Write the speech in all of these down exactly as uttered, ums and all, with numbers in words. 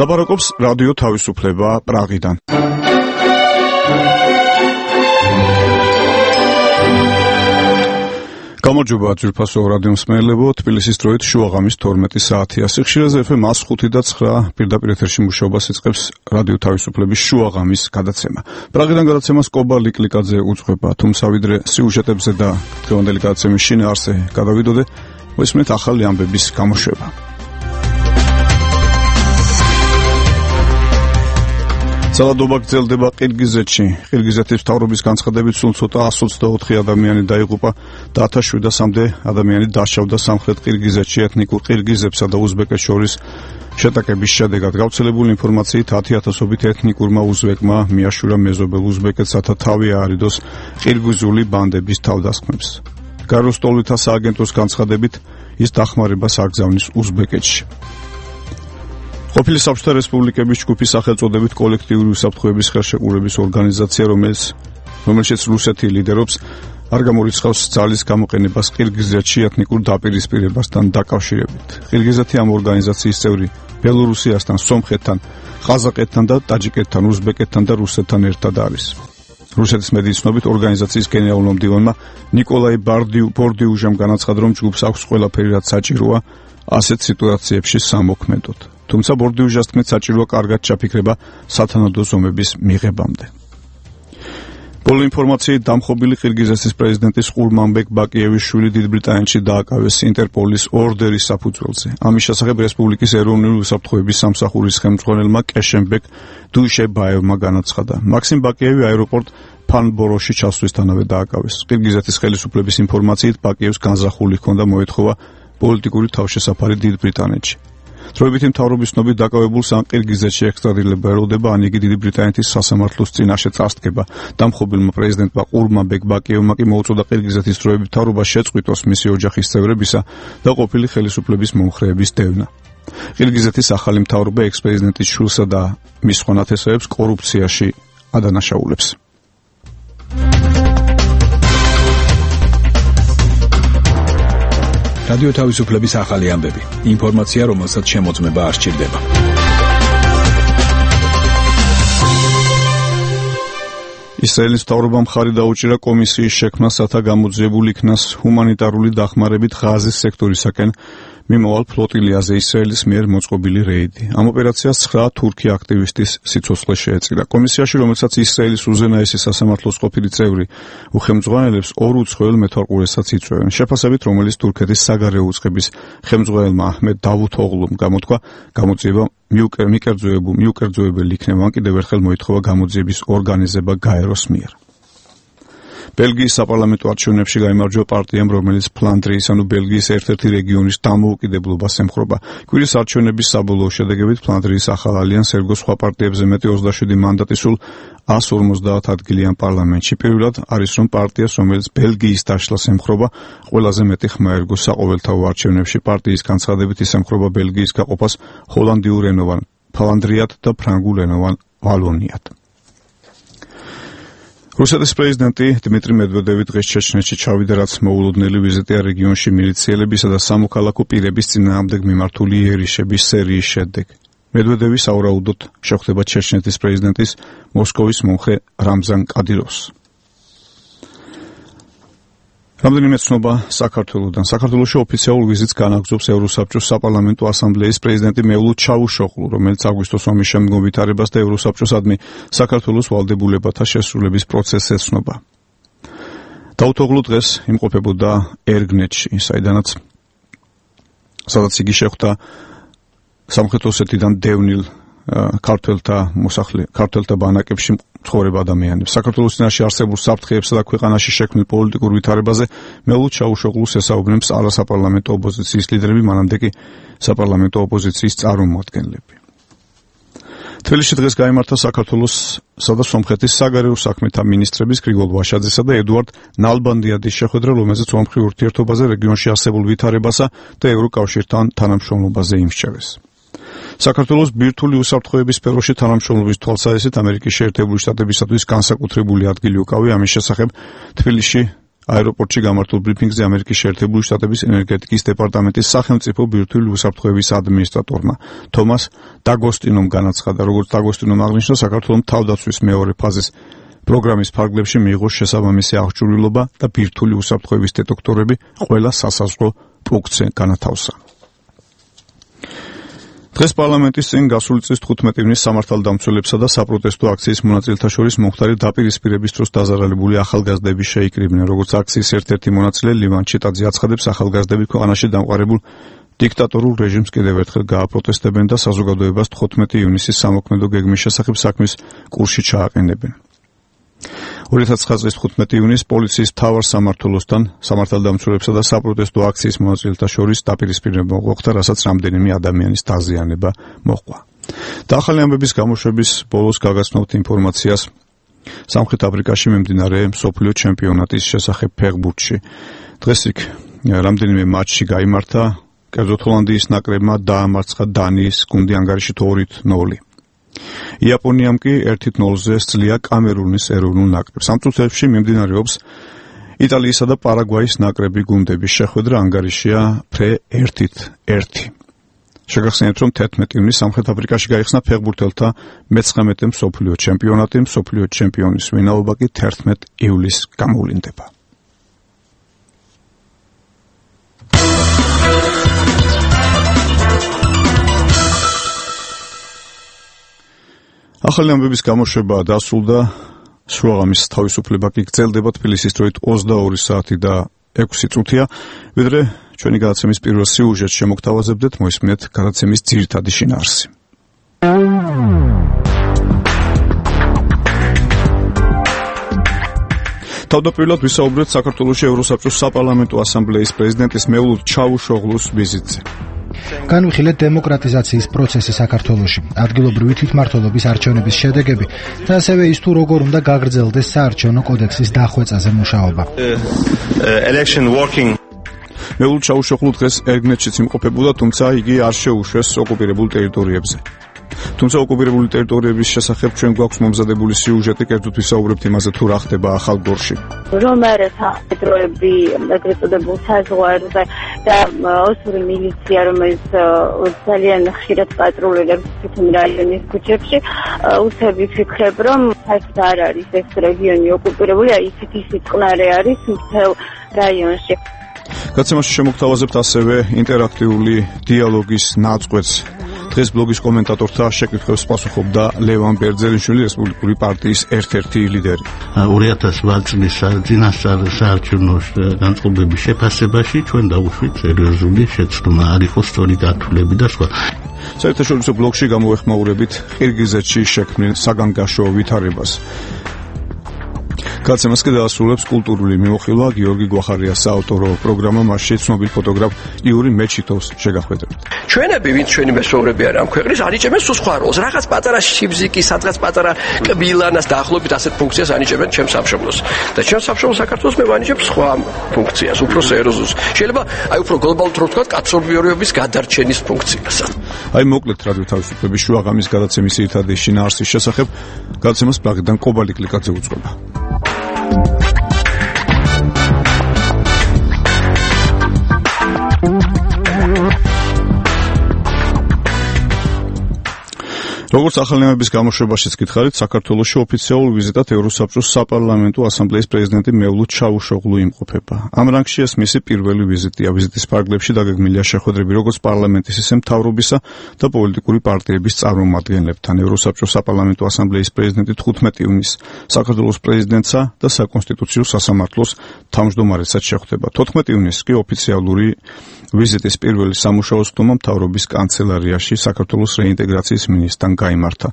ლაპარაკობს რადიო თავისუფლება პრაღიდან. გამარჯობა ძვირფასო რადიო მსმენელებო, თბილისის დროით შუაღამის თორმეტი საათია. სიხშირეზე ეფ ემ ას ხუთი და ცხრა პირდაპირ ეთერში მუშაობას იწყებს რადიო თავისუფლების შუაღამის გადაცემა. პრაღიდან გადაცემას კობა ლიკლიკაძე უძღვება, თუმცა ვიდრე სიუჟეტებზე და დღევანდელი გადაცემის შინაარსზე გადავიდოდე, მისმენთ ახალი ამბების გამოშვება. ძალადობა გრძელდება ყირგიზეთში. ყირგიზეთის მთავრობის განცხადებით სულ ცოტა εκατს ოცდაოთხი ადამიანი დაიღუპა და ათას შვიდასამდე ადამიანი დაშავდა სამხრეთ ყირგიზეთში ეთნიკურ ყირგიზებსა და უზბეკეთს შორის შეტაკების შედეგად. გავრცელებული ინფორმაციით ათი ათასობით ეთნიკურმა უზბეკმა მიაშურა მეზობელ უზბეკეთსა თავი აარიდოს ყირგიზული ბანდების თავდასხმებს. გაეროს ტოლვითა სააგენტოს განცხადებით ის დახმარებას აგზავნის უზბეკეთში. ყოფილი საბჭოთა რესპუბლიკების ჯგუფის სახელწოდებით კოლექტიური უსაფრთხოების ხელშეკრულების ორგანიზაცია, რომელიც რომელშიც რუსეთი ლიდერობს, არ გამორიცხავს ძალის გამოყენებას ყირგიზეთში ეთნიკურ დაპირისპირებასთან დაკავშირებით. ყირგიზეთი ამ ორგანიზაციის წევრი ბელორუსიასთან, სომხეთთან, ყაზაყეთთან და ტაჯიკეთთან, უზბეკეთთან და რუსეთთან ერთად არის. რუსეთის მედიის ცნობით ორგანიზაციის გენერალურმა მდივანმა ნიკოლაი ბორდიუჟამ განაცხადა, რომ ჯგუფს აქვს ყველაფერი, რაც საჭიროა ასეთ სიტუაციებში სამოქმედოდ. თუმცა ბორდიუჟას თქმით, საჭიროა კარგად ჩაფიქრება სათანადო ზომების მიღებამდე. ბოლო ინფორმაციით დამხობილი ყირგიზეთის პრეზიდენტის ყურმანბეკ ბაკიევის შვილი დიდ ბრიტანეთში დააკავეს ინტერპოლის ორდერის საფუძველზე. ამის შესახებ რესპუბლიკის ეროვნული უსაფრთხოების სამსახურის ხელმძღვანელმა კეშენბეკ დუიშებაევმა განაცხადა. მაქსიმ ბაკიევი აეროპორტ ფანბოროში ჩასვლისთანავე დააკავეს. ყირგიზეთის ხელისუფლების ინფორმაციით ბაკიევს განზრახული ჰქონდა მოეთხოვა პოლიტიკური თავშესაფარი დიდ ბრიტანეთში. დროებითი მთავრობის ცნობით დაკავებულს ან ყირგიზეთში ექსტრადირება ეროლდება, ან იგი დიდი ბრიტანეთის სასამართლოს წინაშე წარსდგება. დამხობილმა პრეზიდენტმა ყურმანბეკ ბაკიევმა კი მოუწოდა ყირგიზეთის დროებით მთავრობას შეწყვიტოს მისი ოჯახის წევრებისა და ყოფილი ხელისუფლების მომხრეების დევნა. ყირგიზეთის ახალი მთავრობა ექს-პრეზიდენტის შვილსა და მის ხონათესავებს კორუფციაში ადანაშაულებს. რადიო თავისუფლების ახალი ამბები. ინფორმაცია, რომელსაც შემოწმება არ სჭირდება. ისრაელის მთავრობამ მხარი დაუჭირა კომისიის შექმნას, რათა გამოძიებულ იქნას ჰუმანიტარული დახმარებით ღაზის სექტორისაკენ მიმავალ ფლოტილიაზე ისრაელის მიერ მოწყობილი რეიდი. ამ ოპერაციას ცხრა თურქი აქტივისტის სიცოცხლე შეეწირა. კომისიაში, რომელსაც ისრაელის უზენაესი სასამართლოს ყოფილი წევრი უხელმძღვანელებს, ორ უცხოელ მეთვალყურესაც იწვევენ. შეფასებით, რომელიც თურქეთის საგარეო უწყების ხელმძღვანელმა აჰმედ დავუთოღლუმ გამოთქვა, გამოძიება მიუკერძოებელი იქნება, ან კიდევ ერთხელ მოითხოვა გამოძიების ორგანიზება გაეროს მიერ. ბელგიის საპარლამენტო არჩევნებში გაიმარჯვა პარტიამ, რომელიც ფლანდრიის, ანუ ბელგიის ერთ-ერთი რეგიონის დამოუკიდებლობას ემხრობა. კვირის არჩევნების საბოლოო შედეგებით ფლანდრიის ახალ ალიანსს ერგო სხვა პარტიებზე მეტი ოცდაშვიდი მანდატი სულ εκατს ორმოცდაათ ადგილიან პარლამენტში. პირველად არის, რომ პარტიას, რომელიც ბელგიის დაშლას ემხრობა, ყველაზე მეტი ხმა ერგო საყოველთაო არჩევნებში. პარტიის განცხადებით ის ემხრობა ბელგიის გაყოფას ჰოლანდიურენოვან ფლანდრიად და ფრანგულენოვან ვალონიად. რუსეთის პრეზიდენტი დიმიტრი მედვედევი დღეს ჩეჩნეთში ჩავიდა, რაც მოულოდნელი ვიზიტია რეგიონში მილიციელებისა და სამოქალაქო პირების წინააღმდეგ მიმართული იერიშების სერიის შედეგ. მედვედევი საურაუდოდ შეხვდება ჩეჩნეთის პრეზიდენტის მოსკოვის მომხრე რამზან კადიროვს. რამდენიმე ცნობა საქართველოდან. საქართველოში ოფიციალურ ვიზიტს განაგრძობს ევროსაბჭოს საპარლამენტო ასამბლეის პრეზიდენტი მევლუ ჩავუშოღლუ, რომელიც აგვისტოს ომის შემდგომ ვითარებას და ევროსაბჭოსადმი საქართველოს ვალდებულებათა შესრულების პროცესს ეცნობა. დავუთოღლუ დღეს იმყოფებოდა ერგნეთში, საიდანაც სადაც იგი შეხვდა სამხრეთ ოსეთიდან დევნილ ქართველთა მოსახლე ქართველთა ბანაკებში მცხოვრებ ადამიანებს. საქართველოს წინაშე არსებულ საფრთხეებსა და ქვეყანაში შექმნილ პოლიტიკურ ვითარებაზე მევლუ ჩავუშოღლუს ესაუბრებს არასაპარლამენტო ოპოზიციის ლიდერები, მანამდე კი საპარლამენტო ოპოზიციის წარმომადგენლები. თბილისში დღეს გაიმართა საქართველოსსა და სომხეთის საგარეო საქმეთა მინისტრების გრიგოლ ვაშაძესა და ედუარდ ნალბანდიადის შეხვედრა, რომელზეც ორმხრივ ურთიერთობაზე, რეგიონში არსებულ ვითარებასა და ევროკავშირთან თანამშრომლობაზე იმსჯერეს. საქართველოს ბირთვული უსაფრთხოების სფეროში თანამშრომლობის თვალსაზრისით ამერიკის შეერთებული შტატებისათვის განსაკუთრებული ადგილი უკავია. ამის შესახებ თბილისში აეროპორტში გამართულ ბრიფინგზე ამერიკის შეერთებული შტატების ენერგეტიკის დეპარტამენტის სახელმწიფო ბირთვული უსაფრთხოების ადმინისტრატორმა თომას დაგოსტინომ განაცხადა, როგორც დაგოსტინომ აღნიშნა, საქართველოს თავდაცვის მეორე ფაზის პროგრამის ფარგლებში მიიღო შესაბამისი აღჭურვილობა და ბირთვული უსაფრთხოების დეტექტორები ყველა სასაზღვრო პუნქტზე განათავსა. დღეს პარლამენტის წინ გასული წლის თხუთმეტი ივნის სამართალდამცველებსა და საპროტესტო აქციის მონაწილეთა შორის მომხდარი დაპირისპირების დროს დაზარალებული ახალგაზრდები შეიკრიბნენ. როგორც აქციის ერთ-ერთი მონაწილე ლევან ჩიტაძე აცხადებს, ახალგაზრდები ქვეყანაში დამყარებულ დიქტატორულ რეჟიმს კიდევ ერთხელ გააპროტესტებენ და საზოგადოებას თხუთმეტი ივნისის სამოქმედო გეგმის შესახებ საქმის კურსში ჩააყენებენ. ორი ათას ცხრა წლის თხუთმეტი ივნის პოლიციის მთავარ სამმართველოსთან სამართალდამცველებსა და საპროტესტო აქციის მონაწილეთა შორის დაპირისპირება მოხდა, რასაც რამდენიმე ადამიანის დაზიანება მოჰყვა. და ახალი ამბების გამოშვების ბოლოს გაგაცნობთ ინფორმაციას სამხრეთ აფრიკაში მიმდინარე მსოფლიო ჩემპიონატის შესახებ ფეხბურთში. დღეს იქ რამდენიმე მატჩი გაიმართა, კერძოდ ჰოლანდიის ნაკრებმა დაამარცხა დანიის გუნდი ანგარიშით ორით ნული. იაპონიამ კი ერთით ნოლზე სძლია კამერუნის ეროვნულ ნაკრებს. ამ წუთებში მიმდინარეობს იტალიისა და პარაგვაის ნაკრები გუნდების შეხვედრა, ანგარიშია ფრე ერთით ერთი. შეგახსენებთ, რომ თერთმეტი ივნის სამხრეთ აფრიკაში გაიხსნა ფეხბურთელთა მეცხრამეტე მსოფლიო ჩემპიონატი, მსოფლიო ჩემპიონის ვინაობა კი თერთმეტ ივლისს გამოვლინდება. ახალი ამბების გამოშვება დასრულდა, შუაღამის თავისუფლება კი გრძელდება თბილისის დროით ოცდაორი საათი და ექვსი წუთია, ვიდრე ჩვენი გადაცემის პირველ სიუჟეტს შემოგთავაზებდეთ, მოისმინეთ გადაცემის ძირითადი შინაარსი. თავდაპირველად ვისაუბრეთ საქართველოში ევროსაბჭოს საპარლამენტო ასამბლეის პრეზიდენტის მევლუდ ჩავუშოღლუს ვიზიტზე. განვიხილეთ დემოკრატიზაციის პროცესი საქართველოში, ადგილობრივი თვითმმართველობის არჩევნების შედეგები და ასევე ის თუ როგორ უნდა გაგრძელდეს საარჩევნო კოდექსის დახვეწაზე მუშაობა. მევლუდ ჩავუშოღლუ დღეს ერგნეთშიც იმყოფებოდა, თუმცა იგი არ შეუშვეს ოკუპირებულ ტერიტორიებზე. თუმცა ოკუპირებული ტერიტორიების შესახებ ჩვენ გვაქვს მომზადებული სიუჟეტი, კერძოდ ვისაუბრებთ იმაზე, თუ რა ხდება ახალგორში. რომ არა სამხედროები, ეგრეთ წოდებულ საზღვარზე და ოსური მილიცია, რომელიც ძალიან ხშირად პატრულირებს თვითონ რაიონის ქუჩებში, უთები ვფიქრებ, რომ საერთოდ არ არის ეს რეგიონი ოკუპირებული, აი ისეთი სიწყნარე არის მთელ რაიონში. გაცემაში შემოგთავაზებთ ასევე ინტერაქტიული დიალოგის ნაწყვეტს. დღეს ბლოგის კომენტატორთა შეკითხვებს პასუხობდა ლევან ბერძელიშვილი, რესპუბლიკური პარტიის ერთ-ერთი ლიდერი. ორი ათას ოთხ წლის წინასწარ საარჩევნო განწყობების შეფასებაში ჩვენ დავუშვით სერიოზული შეცდომა, არ იყო სწორი გათვლები და სხვა. საერთაშორისო ბლოგში გამოეხმაურებით ყირგიზეთში შექმნილ საგანგაშო ვითარებას. გაცემას კი დაასრულებს კულტურული მიმოხილვა გიორგი გვახარიას საავტორო პროგრამა, მასში ცნობილ ფოტოგრაფ იური მეჩითოვს შეგახვედრებთ. ჩვენები, ვინც ჩვენი მეზობლები არიან ამ ქვეყნის, ანიჭებენ სულ სხვა როლს. რაღაც პატარა შიბზიკი, სადღაც პატარა კბილანას დაახლოებით ასეთ ფუნქციას ანიჭებენ ჩემ სამშობლოს. და ჩემ სამშობლოს საქართველოს მე ვანიჭებ სხვა ფუნქციას, უფრო სერიოზულს. შეიძლება აი უფრო გლობალურად რო ვთქვათ, კაცობრიობების გადარჩენის ფუნქციას. აი მოკლედ რადიო თავისუფლების შუაღამის გადაცემის ერთადი შინაარსის შესახებ გადაცემას პრაღიდან კობალი კლიკაძე უძღვება. როგორც ახალი ამბების გამოშვებაშიც გითხარით, საქართველოში ოფიციალურ ვიზიტად ევროსაბჭოს საპარლამენტო ასამბლეის პრეზიდენტი მევლუდ ჩავუშოღლუ იმყოფება. ამ რანგში ეს მისი პირველი ვიზიტია. ვიზიტის ფარგლებში დაგეგმილია შეხვედრები როგორც პარლამენტის, ისე მთავრობისა და პოლიტიკური პარტიების წარმომადგენლებთან. ევროსაბჭოს საპარლამენტო ასამბლეის პრეზიდენტი თხუთმეტი ივნის საქართველოს პრეზიდენტსა და საკონსტიტუციო სასამართლოს თავმჯდომარესაც შეხვდება. თოთხმეტი ივნის კი ოფიციალური ვიზიტის პირველი სამუშაო სხდომა მთავრობის კანცელარიაში საქართველოს რეინტეგრაციის მინისტრთან გაიმართა.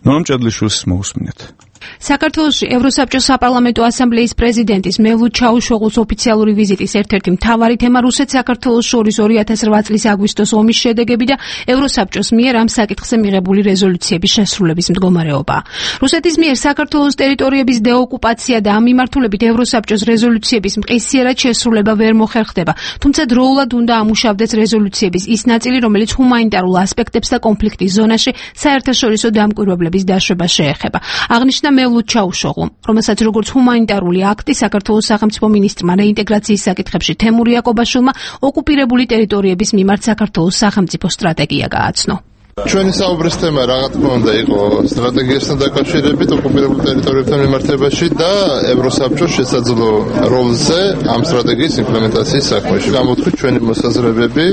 ნონა მჭედლიშვილს მოусმინეთ. საქართველოში ევროსაბჭოს საპარლამენტო ასამბლეის პრეზიდენტის მევლუდ ჩავუშოღლუს ოფიციალური ვიზიტის ერთ-ერთი მთავარი თემა რუსეთ-საქართველოს შორის ორი ათას რვა წლის აგვისტოს ომის შედეგები და ევროსაბჭოს მიერ ამ საკითხზე მიღებული რეზოლუციების შესრულების მდგომარეობა. რუსეთის მიერ საქართველოს ტერიტორიების დეოკუპაცია და ამ მიმართულებით ევროსაბჭოს რეზოლუციების მყისიერად შესრულება ვერ მოხერხდება, თუმცა დროულად უნდა ამუშავდეს რეზოლუციების ის ნაწილი, რომელიც ჰუმანიტარულ ასპექტებს და კონფლიქტის ზონაში საერთაშორისო დამკვირვებლების დაშვებას შეეხება. აღნიშნა და მევლუდ ჩაუშოღლუმ, რომელსაც როგორც ჰუმანიტარული აქტი საქართველოს სახელმწიფო მინისტრმა რეინტეგრაციის საკითხებში თემურ იაკობაშვილმა ოკუპირებული ტერიტორიების მიმართ საქართველოს სახელმწიფო სტრატეგია გააცნო. ჩვენი საუბრის თემა რა თქმა უნდა იყო სტრატეგიასთან დაკავშირებით ოკუპირებულ ტერიტორიებთან მიმართებაში და ევროსაბჭოს შესაძლო როლზე ამ სტრატეგიის იმპლემენტაციის საქმეში. გამოთქვით ჩვენი მოსაზრებები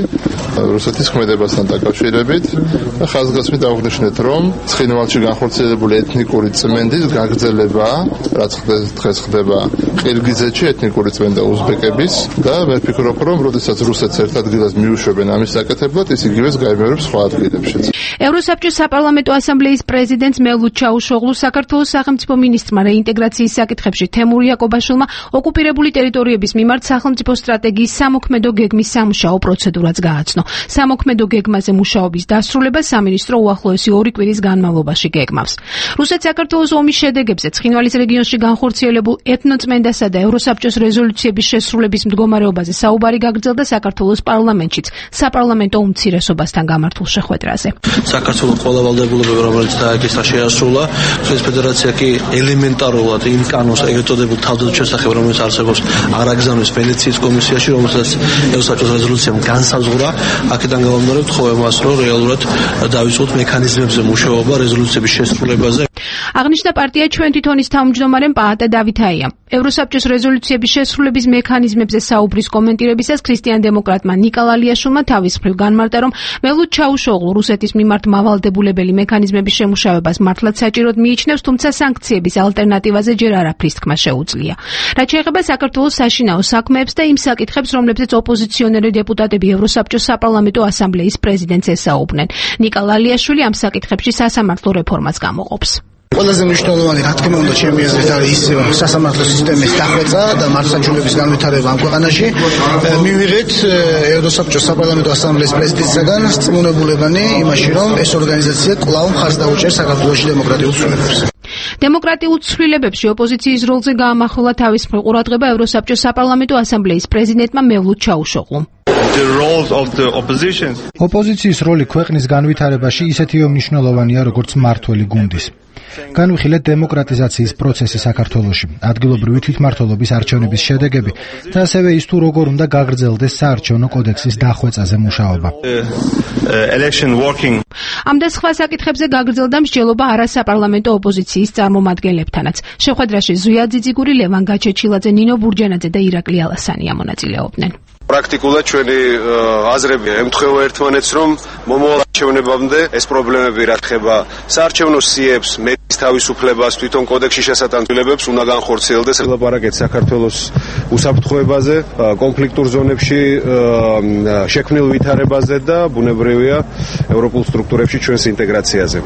რუსეთის ქმედებასთან დაკავშირებით და ხაზგასმით აღვნიშნეთ, რომ ცხინვალში განხორციელებული ეთნიკური წმენდის გაგრძელება, რაც დღეს ხდება ყირგიზეთში ეთნიკური წმენდა უზბეკების და მე ვფიქრობ, რომ როდესაც რუსეთს ერთ ადგილას მიუშვებენ ამის საკეთებლად, ის იგივეს გაიმეორებს სხვა ადგილებშიც. ევროსაბჭოს საპარლამენტო ასამბლეის პრეზიდენტს მევლუდ ჩაუშოღლუ საქართველოს სახელმწიფო მინისტრმა რეინტეგრაციის საკითხებში თემურ იაკობაშვილმა ოკუპირებული ტერიტორიების მიმართ სახელმწიფო სტრატეგიის სამოქმედო გეგმის სამუშაო პროცედურაც გააცნო. სამოქმედო გეგმაზე მუშაობის დასრულებას სამინისტრო უახლოესი ორი კვირის განმავლობაში გეგმავს. რუსეთ საქართველოს ომის შედეგებზე ცხინვალის რეგიონში განხორციელებულ ეთნოწმენდასა და ევროსაბჭოს რეზოლუციების შესრულების მდგომარეობაზე საუბარი გაგრძელდა საქართველოს პარლამენტშიც საპარლამენტო უმცირესობასთან გამართულ შეხვედრაზე. საქართველოს ყველა ვალდებულებები, რომელიც დააკისრა, შეასრულა. რუსეთის ფედერაცია კი ელემენტარულად იმ კანონს ეგრეთოდებულ თავდადო შესახებ, რომელიც არსებობს, არ აგზავნეს ვენეციის კომისიაში, რომელსაც ევროსაბჭოს რეზოლუციამ განსაზღვრა. აქედან გამომდინარე ვთხოვე მას, რომ რეალურად დავიწყოთ მექანიზმებზე მუშაობა რეზოლუციების შესრულებაზე. აღნიშნა პარტია ჩვენ თვითონის თავმჯდომარემ პაატა დავითაიამ. ევროსაბჭოს რეზოლუციების შესრულების მექანიზმებზე საუბრის კომენტირებისას ქრისტიან-დემოკრატმა ნიკა ლალიაშვილმა თავის მხრივ განმარტა, რომ მევლუდ ჩაუშოღლუ რუსეთის მიმართ მავალდებულებელი მექანიზმების შემუშავებას მართლაც საჭიროდ მიიჩნევს, თუმცა სანქციების ალტერნატივაზე ჯერ არაფრის თქმა შეუძლია. რაც შეეხება საქართველოს საშინაო საქმეებს და იმ საკითხებს, რომლებზეც ოპოზიციონერი დეპუტატები ევროსაბჭოს საპარლამენტო ასამბლეის პრეზიდენტს ესაუბრნენ. ნიკა ლალიაშვილი ამ საკითხებში სასამართლო რეფორმას გამოყოფს. ყველაზე მნიშვნელოვანი რა თქმა უნდა ჩემი აზრით არის ის სასამართლო სისტემის დახვეწა და მართლმსაჯულების განვითარება ამ ქვეყანაში. მივიღეთ ევროსაბჭოს საპარლამენტო ასამბლეის პრეზიდენტისგან რწმუნებულებანი იმაში, რომ ეს ორგანიზაცია კვლავ მხარს დაუჭერს საქართველოში დემოკრატიულ ცვლილებებს. დემოკრატიულ ცვლილებებში ოპოზიციის როლზე გაამახვილა თავის მხრივ ყურადღება ევროსაბჭოს საპარლამენტო ასამბლეის პრეზიდენტმა მევლუდ ჩაუშოღლუმ. ოპოზიციის როლი ქვეყნის განვითარებაში ისეთივე მნიშვნელოვანია, როგორც მმართველი გუნდის. განვიხილეთ დემოკრატიზაციის პროცესი საქართველოში, ადგილობრივი თვითმმართველობის არჩევნების შედეგები და ასევე ის თუ როგორ უნდა გაგრძელდეს საარჩევნო კოდექსის დახვეწაზე მუშაობა. ამ და სხვა საკითხებზე გაგრძელდა მსჯელობა არასაპარლამენტო ოპოზიციის წარმომადგენლებთანაც. შეხვედრაში ზვია ძიძიგური, ლევან გაჩეჩილაძე, ნინო ბურჯანაძე და ირაკლი ალასანი მონაწილეობდნენ. პრაქტიკულად ჩვენი აზრები ემთხვევა ერთმანეთს, რომ მომავალ არჩევნებამდე ეს პრობლემები რა ხება საარჩევნო სიებს, მედის თავისუფლებას, თვითონ კოდექსში შესატანცვლებებს უნდა განხორციელდეს. ლაპარაკეთ საქართველოს უსაფრთხოებაზე, კონფლიქტურ ზონებში შექმნილ ვითარებაზე და ბუნებრივია ევროპულ სტრუქტურებში ჩვენს ინტეგრაციაზე.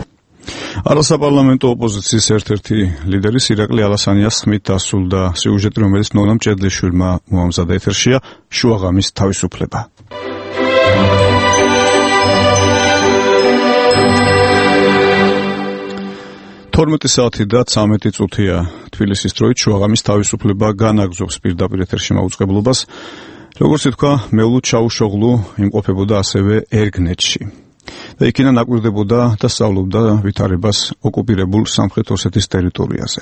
არასაპარლამენტო ოპოზიციის ერთ-ერთი ლიდერის ირაკლი ალასანიას ხმით დასრულდა სიუჟეტი, რომელიც ნონა მჭედლიშვილმა მოამზადა. ეთერშია შუაღამის თავისუფლება. თორმეტი საათი და ცამეტი წუთია თბილისის დროით. შუაღამის თავისუფლება განაგზობს პირდაპირ ეთერში მაუწყებლობას. როგორც ითქვა, მევლუდ ჩაუშოღლუ იმყოფებოდა ასევე ერგნეთში და იქიდან აკვირდებოდა და სწავლობდა ვითარებას ოკუპირებულ სამხრეთ ოსეთის ტერიტორიაზე.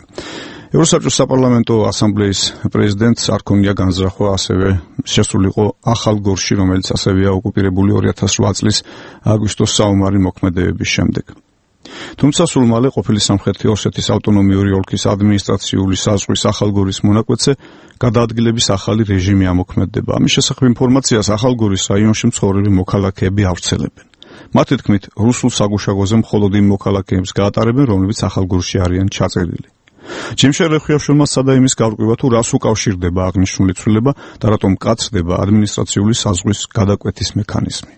ევროსაბჭოს საპარლამენტო ასამბლეის პრეზიდენტს არ ქონია განზრახვა ასევე შესულიყო ახალ გორში, რომელიც ასევეა ოკუპირებული ორი ათას რვა წლის აგვისტოს საომარი მოქმედებების შემდეგ. თუმცა სულ მალე ყოფილი სამხრეთი ოსეთის ავტონომიური ოლქის ადმინისტრაციული საზღვრის ახალგორის მონაკვეთზე გადაადგილების ახალი რეჟიმი ამოქმედდება. ამის შესახებ ინფორმაციას ახალგორის რაიონში მცხოვრები მოქალაქეები ავრცელებენ. მათი თქმით, რუსულ საგუშაგოზე მხოლოდ იმ მოქალაქეებს გაატარებენ, რომლებიც ახალგორში არიან ჩაწერილი. ჯიმშერ რეხვიაშვილმა სცადა იმის გარკვევა, თუ რას უკავშირდება აღნიშნული ცვლილება და რატომ მკაცრდება ადმინისტრაციული საზღვრის გადაკვეთის მექანიზმი.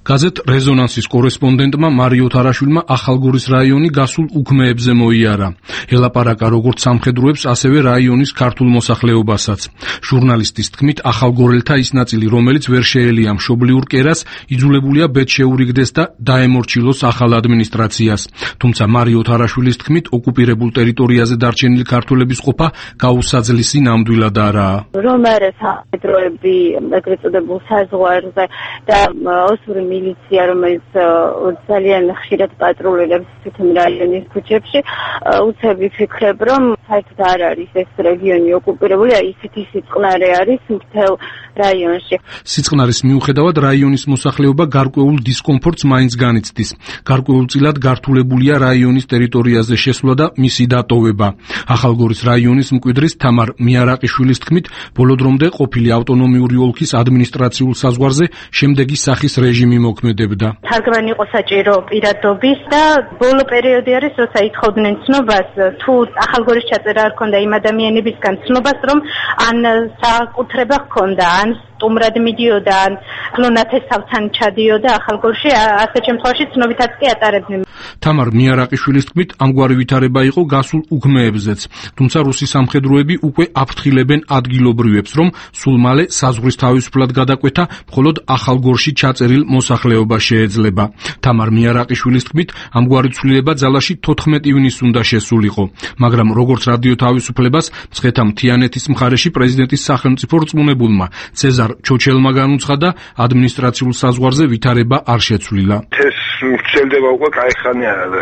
გაზეთ რეზონანსის კორესპონდენტმა მარიო თარაშვილმა ახალგორის რაიონი გასულ უქმეებზე მოიარა. ელაპარაკა როგორც სამხედროებს, ასევე რაიონის ქართულ მოსახლეობასაც. ჟურნალისტის თქმით, ახალგორელთა ის ნაწილი, რომელიც ვერ შეელია მშობლიურ კერას, იძულებულია ბედ შეურიგდეს და დაემორჩილოს ახალ ადმინისტრაციას. თუმცა მარიო თარაშვილის თქმით, ოკუპირებულ ტერიტორიაზე დარჩენილი ქართველების ყოფა გაუსაძლისი ნამდვილად არაა. რომ არა სამხედროები ეგრეთ წოდებულ საზღვარზე და ოსური მილიცია, რომელიც ძალიან ხშირად პატრულირებს თვითონ რაიონის ქუჩებში, უცებ ვიფიქრებ, რომ საერთოდ არ არის ეს რეგიონი ოკუპირებული, აი ისეთი სიწყნარე არის მთელ რაიონში. სიწყნარის მიუხედავად რაიონის მოსახლეობა გარკვეულ დისკომფორტს მაინც განიცდის. გარკვეულწილად გართულებულია რაიონის ტერიტორიაზე შესვლა და მისი დატოვება. ახალგორის რაიონის მკვიდრის თამარ მიარაყიშვილის თქმით, ბოლო დრომდე ყოფილი ავტონომიური ოლქის ადმინისტრაციულ საზღვარზე შემდეგი სახის რეჟიმი მოქმედებდა. თარგმანი იყო საჭირო პირადობის და ბოლო პერიოდი არის, როცა ითხოვდნენ ცნობას, თუ ახალგორის ჩაწერა არ ქონდა იმ ადამიანებისგან ცნობას, რომ ან საკუთრება ჰქონდა, ან სტუმრად მიდიოდა, ან ნათესავთან ჩადიოდა ახალგორში, ასეთ შემთხვევაში ცნობითაც კი ატარებდნენ. თამარ მიარაყიშვილის თქმით, ამგვარი ვითარება იყო გასულ უქმეებზეც, თუმცა რუსი სამხედროები უკვე აფრთხილებენ ადგილობრივებს, რომ სულ მალე საზღვრის თავისუფლად გადაკვეთა მხოლოდ ახალგორში ჩაწერილ მოსახლეობას შეეძლება. თამარ მიარაყიშვილის თქმით, ამგვარი ცვლილება ძალაში თოთხმეტი ივნისს უნდა შესულიყო, მაგრამ როგორც რადიო თავისუფლებას მცხეთა მთიანეთის მხარეში პრეზიდენტის სახელმწიფო რწმუნებულმა ცეზარ ჩოჩელმა განუცხადა, ადმინისტრაციულ საზღვარზე ვითარება არ შეცვლილა. ეს ვრცელდება უკვე კაი ხანი არა და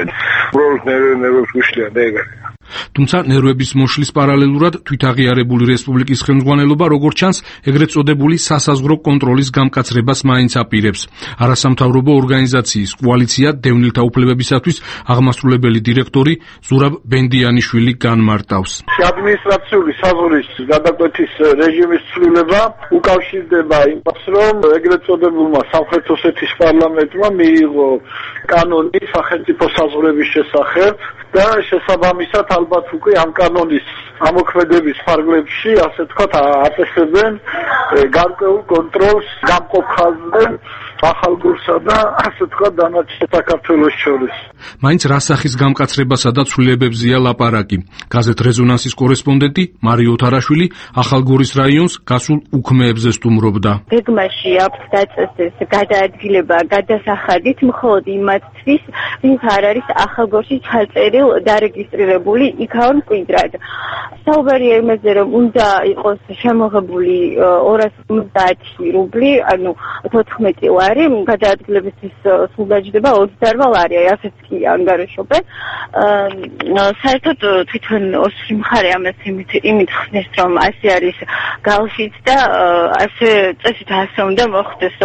უბრალოდ ნერვებს უშლიან და ეგრე. თუმცა ნერვების მოშლის პარალელურად თვითაღიარებული რესპუბლიკის ხელმძღვანელობა, როგორც ჩანს, ეგრეთ წოდებული სასაზღვრო კონტროლის გამკაცრებას მაინც აპირებს. არასამთავრობო ორგანიზაციის კოალიცია დევნილთა უფლებებისათვის აღმასრულებელი დირექტორი ზურაბ ბენდიანიშვილი განმარტავს. ადმინისტრაციული საზღვრის გადაკვეთის რეჟიმის ცვლილება უკავშირდება იმას, რომ ეგრეთ წოდებულმა სამხრეთ ოსეთის პარლამენტმა მიიღო კანონი სახელმწიფო საზღვრების შესახებ და შესაბამისად ალბათ უკვე ამ კანონის ამოქმედების ფარგლებში, ასე თქვათ, აწესებენ გარკვეულ კონტროლს გამყოფ ხაზზე ახალგორსა და ასე თქვათ დანარჩენ საქართველოს შორის. მაინც რა სახის გამკაცრებასა და ცვლილებებზეა ლაპარაკი. გაზეთ რეზონანსის კორესპონდენტი მარიო თარაშვილი ახალგორის რაიონს გასულ უქმეებზე სტუმრობდა. გეგმაში აქვს დაწესდეს გადაადგილება გადასახადით მხოლოდ იმათთვის, ვინც არ არის ახალგორში ჩაწერილ დარეგისტრირებული იქაურ მკვიდრად. საუბარია იმაზე, რომ უნდა იყოს შემოღებული ორას ოცდაათი რუბლი, ანუ თოთხმეტი ლარი, გადაადგილებისთვის სულ დაჯდება ოცდაოთხ ლარი, ასეც კი ანგარიშობენ. საერთოდ თვითონ ოსური მხარე ამას იმით ხსნის, რომ ასე არის გალშიც და ასე წესით ასე უნდა მოხდეს.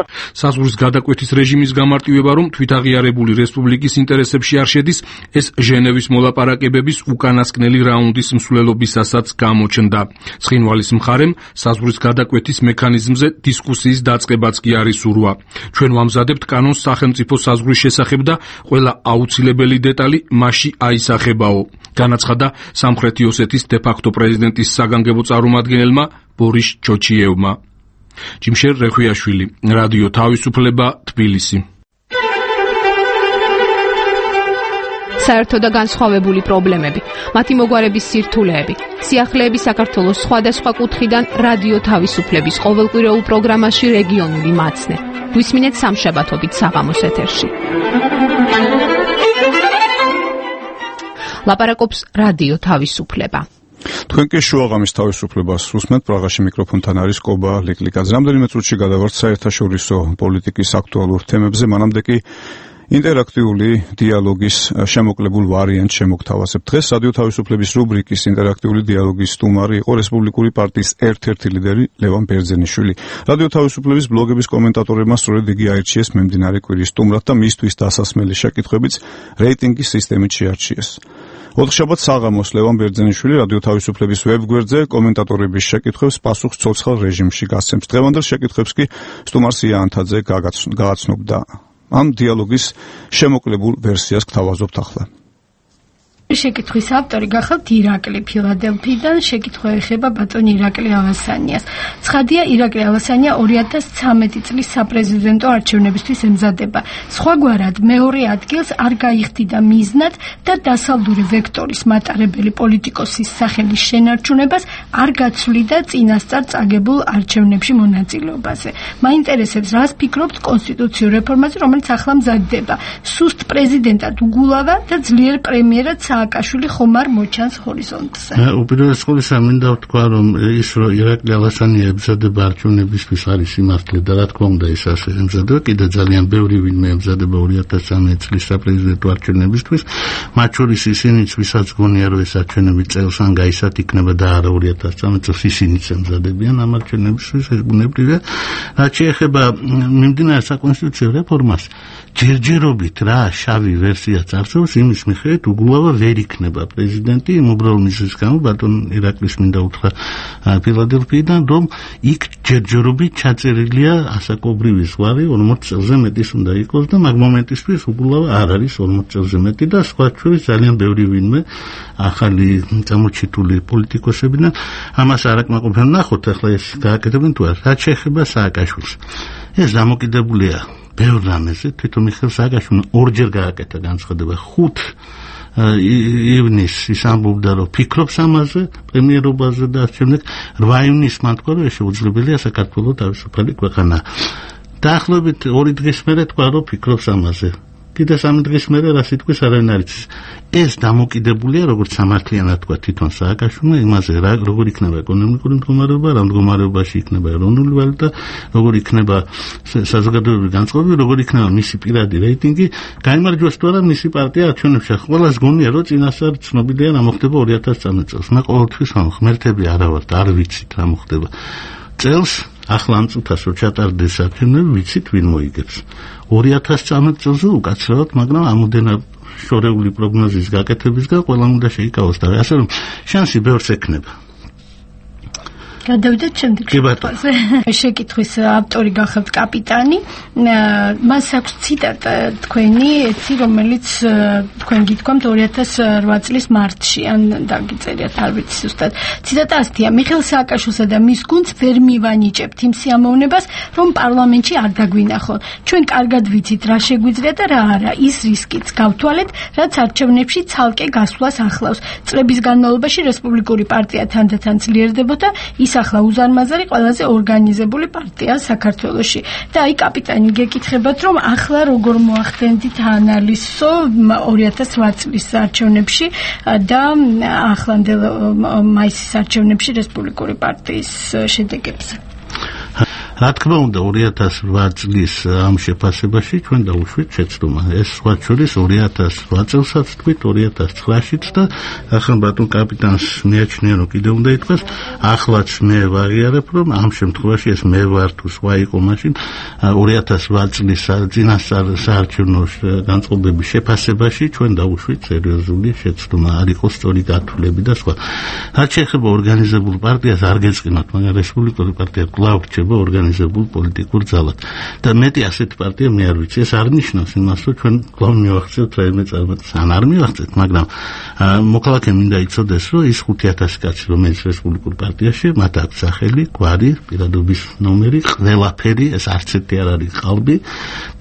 საზღვრის გადაკვეთის რეჟიმის გამარტივება, რომ თვითაღიარებული რესპუბლიკის ინტერესებში არ შედის, ეს ჟენევის მოლაპარაკებების უკანასკნელი რაუნდის მსვლელობისასაც გამოჩნდა. ცხინვალის მხარემ საზღვრის გადაკვეთის მექანიზმზე დისკუსიის დაწყებაც კი არის ურვა. ჩვენ ვამზადებთ კანონს სახელმწიფო საზღვრის შესახებ და ყველა აუცილებელი დეტალი მასში აისახებაო, განაცხადა სამხრეთი ოსეთის დე-ფაქტო პრეზიდენტის საგანგებო წარმომადგენელმა ბორის ჩოჩიევმა. ჯიმშერ რეხვიაშვილი, რადიო თავისუფლება, თბილისი. საერთო და განსხვავებული პრობლემები, მათი მოგვარების სირთულეები, სიახლეები საქართველოს სხვადასხვა კუთხიდან რადიო თავისუფლების ყოველკვირეულ პროგრამაში რეგიონული მაცნე. გვისმინეთ სამშაბათობით საღამოს ეთერში. ლაპარაკობს რადიო თავისუფლება. თქვენ კი შუაღამის თავისუფლებას უსმენთ, პრაღაში მიკროფონთან არის კობა ლიკლიკაძე. რამდენიმე წუთში გადავართ საერთაშორისო პოლიტიკის აქტუალურ თემებზე, მანამდე კი ინტერაქტიული დიალოგის შემოკლებულ ვარიანტს შემოგთავაზებ. დღეს რადიო თავისუფლების რუბრიკის ინტერაქტიული დიალოგის სტუმარი იყო რესპუბლიკური პარტიის ერთ-ერთი ლიდერი ლევან ბერძენიშვილი. რადიო თავისუფლების ბლოგების კომენტატორებმა სწორედ იგი აირჩიეს მიმდინარე კვირის სტუმრად და მისთვის დასასმელი შეკითხვებიც რეიტინგის სისტემით შეარჩიეს. ოთხშაბათს საღამოს ლევან ბერძენიშვილი რადიო თავისუფლების ვებგვერდზე კომენტატორების შეკითხვებს პასუხს ცოცხალ რეჟიმში გასცემს. დღევანდელ შეკითხვებს კი სტუმარ სია ანთაძე გააცნობდა. ამ დიალოგის შემოკლებულ ვერსიას გთავაზობთ ახლა. შეკითხვის ავტორი გახავთ ირაკლი ფილადელფიიდან, შეკითხვა ეხება ბატონ ირაკლი ავასანიას. ცხადია, ირაკლი ავასანია ორი ათას ცხრამეტი წლის საპრეზიდენტო არჩევნებისთვის ემზადება. სხვაგვარად მეორე ადგილს არ გაიხდიდა მიზნად და დასალდური ვექტორის მატარებელი პოლიტიკოსის სახელის შენარჩუნებას არ გაცვლიდა წინასწარ წაგებულ არჩევნებში მონაწილეობაზე. მაინტერესებს, რას ფიქრობთ კონსტიტუციურ რეფორმაზე, რომელიც ახლა მზადდება. სუსტ პრეზიდენტად უგულავა და ძლიერ პრემიერად სააკაშვილი ხომ არ მოჩანს ჰორიზონტზე. უპირველეს ყოვლისა მინდა ვთქვა, რომ ის რომ ირაკლი ალასანია ემზადება არჩევნებისთვის არის სიმართლე და რა თქმა უნდა ის ასე ემზადება, კიდე ძალიან ბევრი ვინმე ემზადება ორი ათას ცხრამეტ წლის საპრეზიდენტო არჩევნებისთვის, მათ შორის ისინიც, ვისაც გონია რომ ეს არჩევნები წელს ან გაისად იქნება და არა ორი ათას ცხრამეტ წელს ისინიც ემზადებიან ამ არჩევნებისთვის, ეს ბუნებრივია. რაც შეეხება მიმდინარე საკონსტიტუციო რეფორმას, ჯერჯერობით რა შავი ვერსიაც არსებობს იმის მიხედვით უგულავა ვერ იქნება პრეზიდენტი იმ უბრალო მიზეზის გამო ბატონ ირაკლის მინდა უთხრა ფილადელფიიდან რომ იქ ჯერჯერობით ჩაწერილია ასაკობრივი ზღვარი ორმოც წელზე მეტის უნდა იყოს და მაგ მომენტისთვის უგულავა არ არის ორმოც წელზე მეტი და სხვა შორის ძალიან ბევრი ვინმე ახალი გამოჩიტული პოლიტიკოსები და ამას არაკმაყოფილებენ ნახოთ ახლა ეს გააკეთებენ თუ არა რაც შეეხება სააკაშვილს ეს დამოკიდებულია ბევრ რამეზე თვითონ მიხეილ სააკაშვილმა ორჯერ გააკეთა განცხადება ხუთ ივნის ის ამბობდა რომ ფიქრობს ამაზე პრემიერობაზე და შემდეგ რვა ივნის მან თქვა რომ ეს შეუძლებელია საქართველოს თავისუფალი ქვეყანა დაახლოებით ორი დღის მერე თქვა რომ ფიქრობს ამაზე კიდე სამი დღის მერე რა სიტყვის არაინ არ იცის ეს დამოკიდებულია როგორც სამართლიანად თქვა თვითონ სააკაშვილმა იმაზე რა როგორ იქნება ეკონომიკური მდგომარეობა რა მდგომარეობაში იქნება ეროვნული ვალუტა როგორ იქნება საზოგადოებრივი განწყობები როგორ იქნება მისი პირადი რეიტინგი გაიმარჯვოს თუ არა მისი პარტია არჩევნებში ყველას გონია რომ წინასწარ ცნობილია რა მოხდება ორი ათას ცხრამეტ წელს მე ყოველთვის ღმერთები არა ვართ არ ვიცით რა მოხდება წელს ახლა ამ წუთას რო ჩატარდეს არჩევნები ვიცით ვინ მოიგებს ორი ათას ცხრამეტ წელზე უკაცრავად მაგრამ ამოდენა შორეული პროგნოზის გაკეთებისგან ყველამ უნდა შეიკავოს და ასე რომ შანსი ბევრს ექნება გადავიდეთ შემდეგ შეკითხვაზე. შეკითხვის ავტორი გახავთ კაპიტანი. მას აქვს ციტატა თქვენი, ეთი რომელიც თქვენ გითქვამთ ორი ათას რვა წლის მარტში, ან დაგიწერიათ, არ ვიცი ზუსტად. ციტატა ასეთია: მიხეილ სააკაშვილსა და მის გუნდს ვერ მივანიჭებთ იმ სიამოვნებას, რომ პარლამენტში არ დაგვინახონ. ჩვენ კარგად ვიცით რა შეგვიძლია და რა არა. ის რისკიც გავთვალეთ, რაც არჩევნებში ცალკე გასვლას ახლავს. წლების განმავლობაში რესპუბლიკური პარტია თანდათან ძლიერდებოდა ის ახლა უზარმაზარი ყველაზე ორგანიზებული პარტია საქართველოში. და აი კაპიტანი გეკითხებათ რომ ახლა როგორ მოახდენდით ანალიზო ორი ათას რვა წლის არჩევნებში და ახლანდელ მაისის არჩევნებში რესპუბლიკური პარტიის შედეგებზე. რა თქმა უნდა ორი ათას რვა წლის ამ შეფასებაში ჩვენ დავუშვით შეცდომა ეს სხვა შორის ორი ათას რვა წელსაც თქვით ორი ათას ცხრაშიც და ახლა ბატონ კაპიტანს მიაჩნია რომ კიდე უნდა ითქვას ახლაც მე ვაღიარებ რომ ამ შემთხვევაში ეს მე ვარ თუ სხვა იყო მაშინ ორი ათას რვა წლის წინასწარ საარჩევნო განწყობების შეფასებაში ჩვენ დავუშვით სერიოზული შეცდომა არ იყო სწორი გათვლები და სხვა რაც შეეხება ორგანიზებულ პარტიას არ გეწყინოთ მაგრამ რესპუბლიკური პარტია კვლავ რჩება ორგანიზებულ პოლიტიკურ ძალად და მეტი ასეთი პარტია მე არ ვიცი ეს არ ნიშნავს იმას რომ ჩვენ კვლავ მივახცევთ რაიმე წარმატებას ან არ მივახცევთ მაგრამ მოქალაქე მინდა იცოდეს რომ ის ხუთი ათასი კაცი რომელიც რესპუბლიკურ პარტიაში მათ აქვს სახელი გვარი პირადობის ნომერი ყველაფერი ეს არც ერთი არ არის ყალბი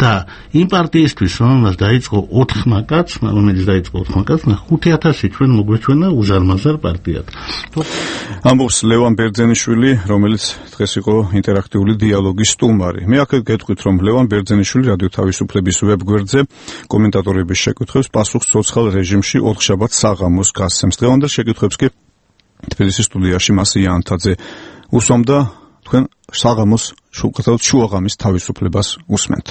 და იმ პარტიისთვის რომელმაც დაიწყო ოთხმა კაცმა რომელიც დაიწყო ოთხმა კაცმა ხუთი ათასი ჩვენ მოგვეჩვენა უზარმაზარ პარტიად ამბობს ლევან ბერძენიშვილი რომელიც დღეს იყო ინტერაქტიული დიალოგის სტუმარი. მე აქ გეტყვით, რომ ლევან ბერძენიშვილი რადიო თავისუფლების ვებგვერდზე კომენტატორების შეკითხვებს პასუხს ცოცხალ რეჟიმში ოთხშაბათ საღამოს გასცემს. დღევანდელ შეკითხვებს კი თბილისის სტუდიაში მასი იანთაძე უსვამდა თქვენ საღამოს შუქათავთ შუაღამის თავისუფლებას უსმენთ.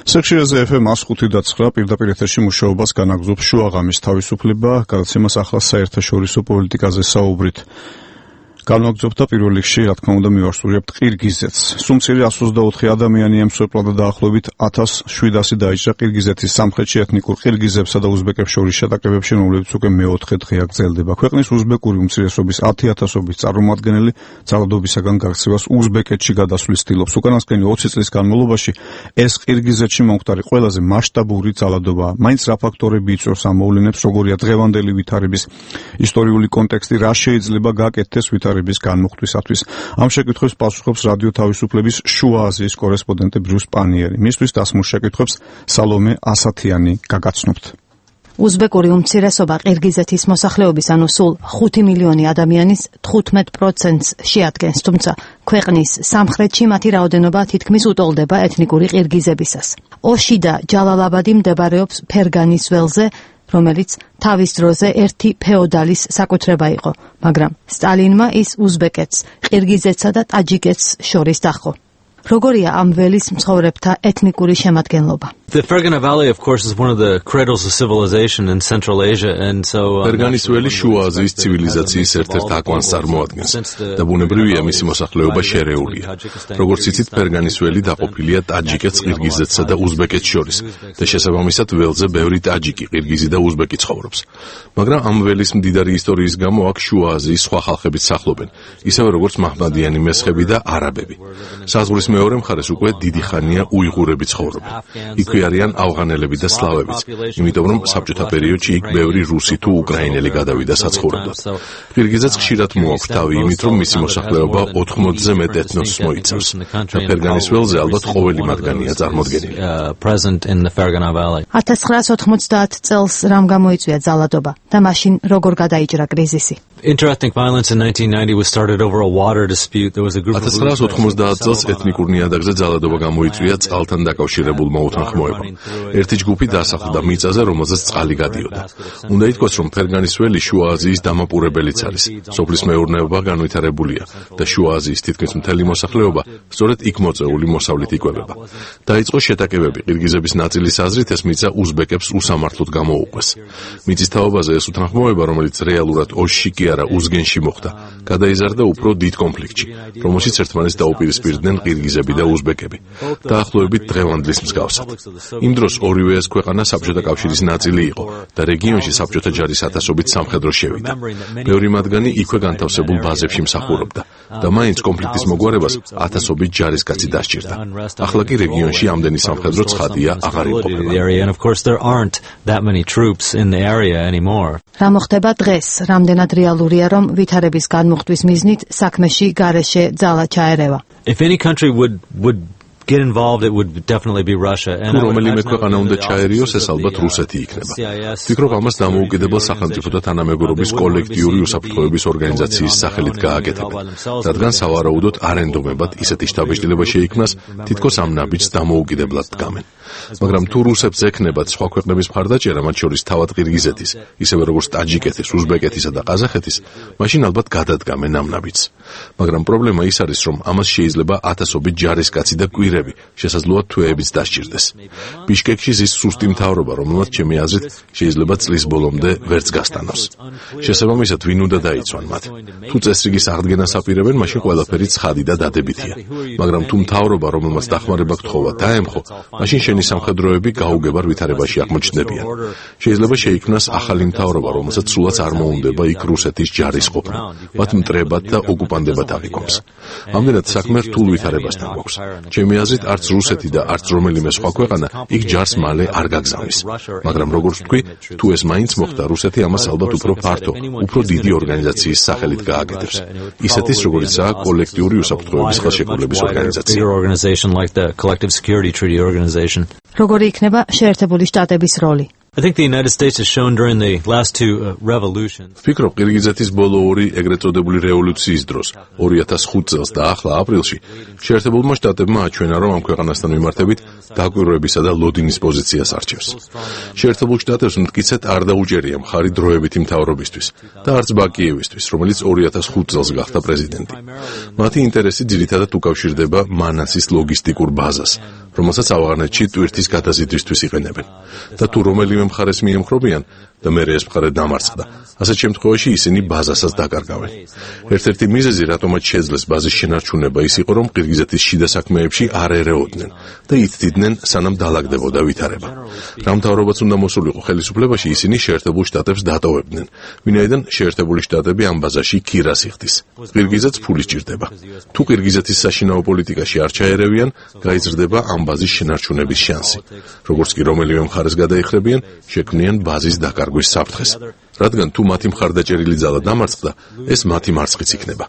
სექციაზე ეფ ემ ხუთი და ცხრა პირდაპირ ეთერში მუშაობას განაგრძობს შუაღამის თავისუფლება, გადაცემას ახლა საერთაშორისო პოლიტიკაზე საუბრით. განაგრძობთ და პირველ რიგში, რა თქმა უნდა, მივახსოვრებთ ყირგიზეთს. სუმცირე εκατს ოცდაოთხი ადამიანი ემსხვერპლა და დაახლოებით ათას შვიდასი დაიჭრა ყირგიზეთის სამხრეთში ეთნიკურ ყირგიზებსა და უზბეკებს შორის შეტაკებებში, რომლებიც უკვე მეოთხე დღეა გრძელდება. ქვეყნის უზბეკური უმცირესობის ათი ათასობის წარმომადგენელი ძალადობისაგან გაქცევას უზბეკეთში გადასვლის ცდილობს. უკანასკნელი ოცი წლის განმავლობაში ეს ყირგიზეთში მომხდარი ყველაზე მასშტაბური ძალადობაა. მაინც რა ფაქტორები იწვევს ამ მოვლენებს, როგორია დღევანდელი ვითარების ისტორიული კონტექსტი, რა შეიძლება გაკეთდეს ვითარების განმუხტვისათვის. ამ შეკითხვებს პასუხობს რადიო თავისუფლების შუა აზიის კორესპონდენტი ბრიუს პანიერი. მისთვის დასმულ შეკითხვებს სალომე ასათიანი გაგაცნობთ. უზბეკური უმცირესობა ყირგიზეთის მოსახლეობის, ანუ სულ ხუთი მილიონი ადამიანის თხუთმეტ პროცენტს შეადგენს, თუმცა ქვეყნის სამხრეთში მათი რაოდენობა თითქმის უტოლდება ეთნიკური ყირგიზებისას. ოში და ჯალალაბადი მდებარეობს ფერგანის ველზე, რომელიც თავის დროზე ერთი ფეოდალის საკუთრება იყო, მაგრამ სტალინმა ის უზბეკეთს, ყირგიზეთსა და ტაჯიკეთს შორის დაჰყო. როგორია ამ ველის მცხოვრებთა ეთნიკური შემადგენლობა? The Fergana Valley, of course, is one of the cradles of civilization in Central Asia, and so Ferganis veli შუა აზიის ცივილიზაციის ერთ-ერთ აკვანს წარმოადგენს და ბუნებრივია მისი მოსახლეობა შერეულია. როგორც იცით, Ferganis veli დაყოფილია ტაჯიკეთს, ყირგიზეთსა და უზბეკეთს შორის და შესაბამისად ველზე ბევრი ტაჯიკი, ყირგიზი და უზბეკი ცხოვრობს. მაგრამ ამ ველის მდიდარი ისტორიის გამო აქ შუა აზიის სხვა ხალხებიც სახლობენ, ისევე როგორც მაჰმადიანი მესხები და არაბები. საზღვრის მეორე მხარეს უკვე დიდი ხანია უიღურები ცხოვრობენ. იქვე არიან ავღანელები და სლავებიც, იმიტომ რომ საბჭოთა პერიოდში იქ ბევრი რუსი თუ უკრაინელი გადავიდა საცხოვრებლად. ყირგიზეთს ხშირად მოაქვს თავი იმით, რომ მისი მოსახლეობა ოთხმოცზე მეტ ეთნოსს მოიცავს და ფერგანის ველზე ალბათ ყოველი მათგანია წარმოდგენილი. ათას ცხრაას ოთხმოცდაათ წელს რამ გამოიწვია ძალადობა და მაშინ როგორ გადაიჭრა კრიზისი? Interethnic violence in nineteen ninety was started over a water dispute. There was a group of ათას ცხრაას ოთხმოცდაათ წელს ეთნიკურ ნიადაგზე ძალადობა გამოიწვია წყალთან დაკავშირებულმა უთანხმოებამ. ერთი ჯგუფი დასახლდა მიწაზე, რომელზეც წყალი გადიოდა. უნდა ითქვას, რომ ფერგანის ველი შუა აზიის დამაპურებელიც არის. სოფლის მეურნეობა განვითარებულია და შუა აზიის თითქმის მთელი მოსახლეობა სწორედ იქ მოწეული მოსავლით იკვებება. დაიწყო შეტაკებები, ყირგიზების ნაწილის აზრით ეს მიწა უზბეკებს უსამართლოდ გამოუყვეს. მიწის თაობაზე ეს უთანხმოება, რომელიც რეალურად ოსში კი არა უზგენში მოხდა, გადაიზარდა უფრო დიდ კონფლიქტში, რომელშიც ერთმანეთს დაუპირისპირდნენ ყირგიზები და უზბეკები. დაახლოებით დღევანდლის მსგავსად. იმ დროს ორივე ეს ქვეყანა საბჭოთა კავშირის ნაწილი იყო და რეგიონში საბჭოთა ჯარის ათასობით სამხედრო შევიდა. ბევრი მათგანი იქვე განთავსებულ ბაზებში მსახურობდა და მაინც კონფლიქტის მოგვარებას ათასობით ჯარისკაცი დასჭირდა. ახლა კი რეგიონში ამდენი სამხედრო ცხადია აღარ იმყოფება. რა მოხდება დღეს? რამდენად რეალურია, რომ ვითარების განმუხტვის მიზნით საქმეში გარეშე ძალა ჩაერევა? If any country would would get involved, it would definitely be Russia. თუ რომელიმე ქვეყანა უნდა ჩაერიოს, ეს ალბათ რუსეთი იქნება. ვფიქრობ, ამას დამოუკიდებელ სახელმწიფოთა თანამეგობრობის კოლექტიური უსაფრთხოების ორგანიზაციის სახელით გააკეთებენ, რადგან სავარაუდოდ არენდომებად ისეთი შთაბეჭდილება შეიქმნას, თითქოს ამ ნაბიჯს დამოუკიდებლად დგამენ. მაგრამ თუ რუსებს ექნებათ სხვა ქვეყნების მხარდაჭერა, მათ შორის თავად ყირგიზეთის, ისევე როგორც ტაჯიკეთის, უზბეკეთისა და ყაზახეთის, მაშინ ალბათ გადადგამენ ამ ნაბიჯს. მაგრამ პრობლემა ის არის, რომ ამას შეიძლება ათასობით ჯარისკაცი და კვირები, შესაძლოა თვეებიც დასჭირდეს. ბიშკეკში ზის სუსტი მთავრობა, რომელმაც ჩემი აზრით შეიძლება წლის ბოლომდე ვერც გასტანოს. შესაბამისად, ვინ უნდა დაიცვან მათ? თუ წესრიგის აღდგენას აპირებენ, მაშინ ყველაფერი ცხადი და დადებითია. მაგრამ თუ მთავრობა, რომელმაც დახმარება გთხოვა, დაემხო, მაშინ შენი სამხედროები გაუგებარ ვითარებაში აღმოჩნდებიან. შეიძლება შეიქმნას ახალი მთავრობა, რომელსაც სულაც არ მოუნდება იქ რუსეთის ჯარის ყოფნა, მათ მტრებად და ოკუპანდებად აღიქვამს. ამდენად საქმე რთულ ვითარებასთან გვაქვს. ჩემი აზრით, არც რუსეთი და არც რომელიმე სხვა ქვეყანა იქ ჯარს მალე არ გაგზავნის. მაგრამ როგორც ვთქვი, თუ ეს მაინც მოხდა, რუსეთი ამას ალბათ უფრო ფართო, უფრო დიდი ორგანიზაციის სახელით გააკეთებს. ისეთის, როგორიცაა კოლექტიური უსაფრთხოების ხელშეკრულების ორგანიზაცია. როგორი იქნება შეერთებული შტატების როლი? I think the United States has shown during the last two uh, revolutions. ვფიქრობ, ყირგიზეთის ბოლო ორი ეგრეთ წოდებული რევოლუციის დროს, ორი ათას ხუთ წელს და ახლა აპრილში, შეერთებულმა შტატებმა აჩვენა, რომ ამ ქვეყანასთან მიმართებით დაკვირვებისა და ლოდინის პოზიციას არჩევს. შეერთებულ შტატებს მტკიცედ არ დაუჭერია მხარი დროებითი მთავრობისთვის და არც ბაკიევისთვის, რომელიც ორი ათას ხუთ წელს გახდა პრეზიდენტი. მათი ინტერესი ძირითადად უკავშირდება მანასის ლოგისტიკურ ბაზას, რომელსაც ავღანეთში ტვირთის გადაზიდვისთვის იყენებენ. და თუ რომელიმე მხარეს მიემხრობიან და მერე ეს მხარე დამარცხდა, ასეთ შემთხვევაში ისინი ბაზასაც დაკარგავენ. ერთ-ერთი მიზეზი, რატომაც შეძლეს ბაზის შენარჩუნება, ის იყო, რომ ყირგიზეთის შიდა საქმეებში არ ერეოდნენ და იცდიდნენ, სანამ დაალაგდებოდა ვითარება. რა მთავრობაც უნდა მოსულიყო ხელისუფლებაში, ისინი შეერთებულ შტატებს დატოვებდნენ, ვინაიდან შეერთებული შტატები ამ ბაზაში ქირას იხდის. ყირგიზეთს ფული სჭირდება. თუ ყირგიზეთის საშინაო პოლიტიკაში არ ჩაერევიან, გაიზრდება ამ ბაზის შენარჩუნების შანსი. როგორც კი რომელიმე მხარეს გადაიხრებიან, შექმნიან ბაზის დაკარგვის საფრთხეს. რადგან თუ მათი მხარდაჭერილი ძალა დამარცხდა, ეს მათი მარცხიც იქნება.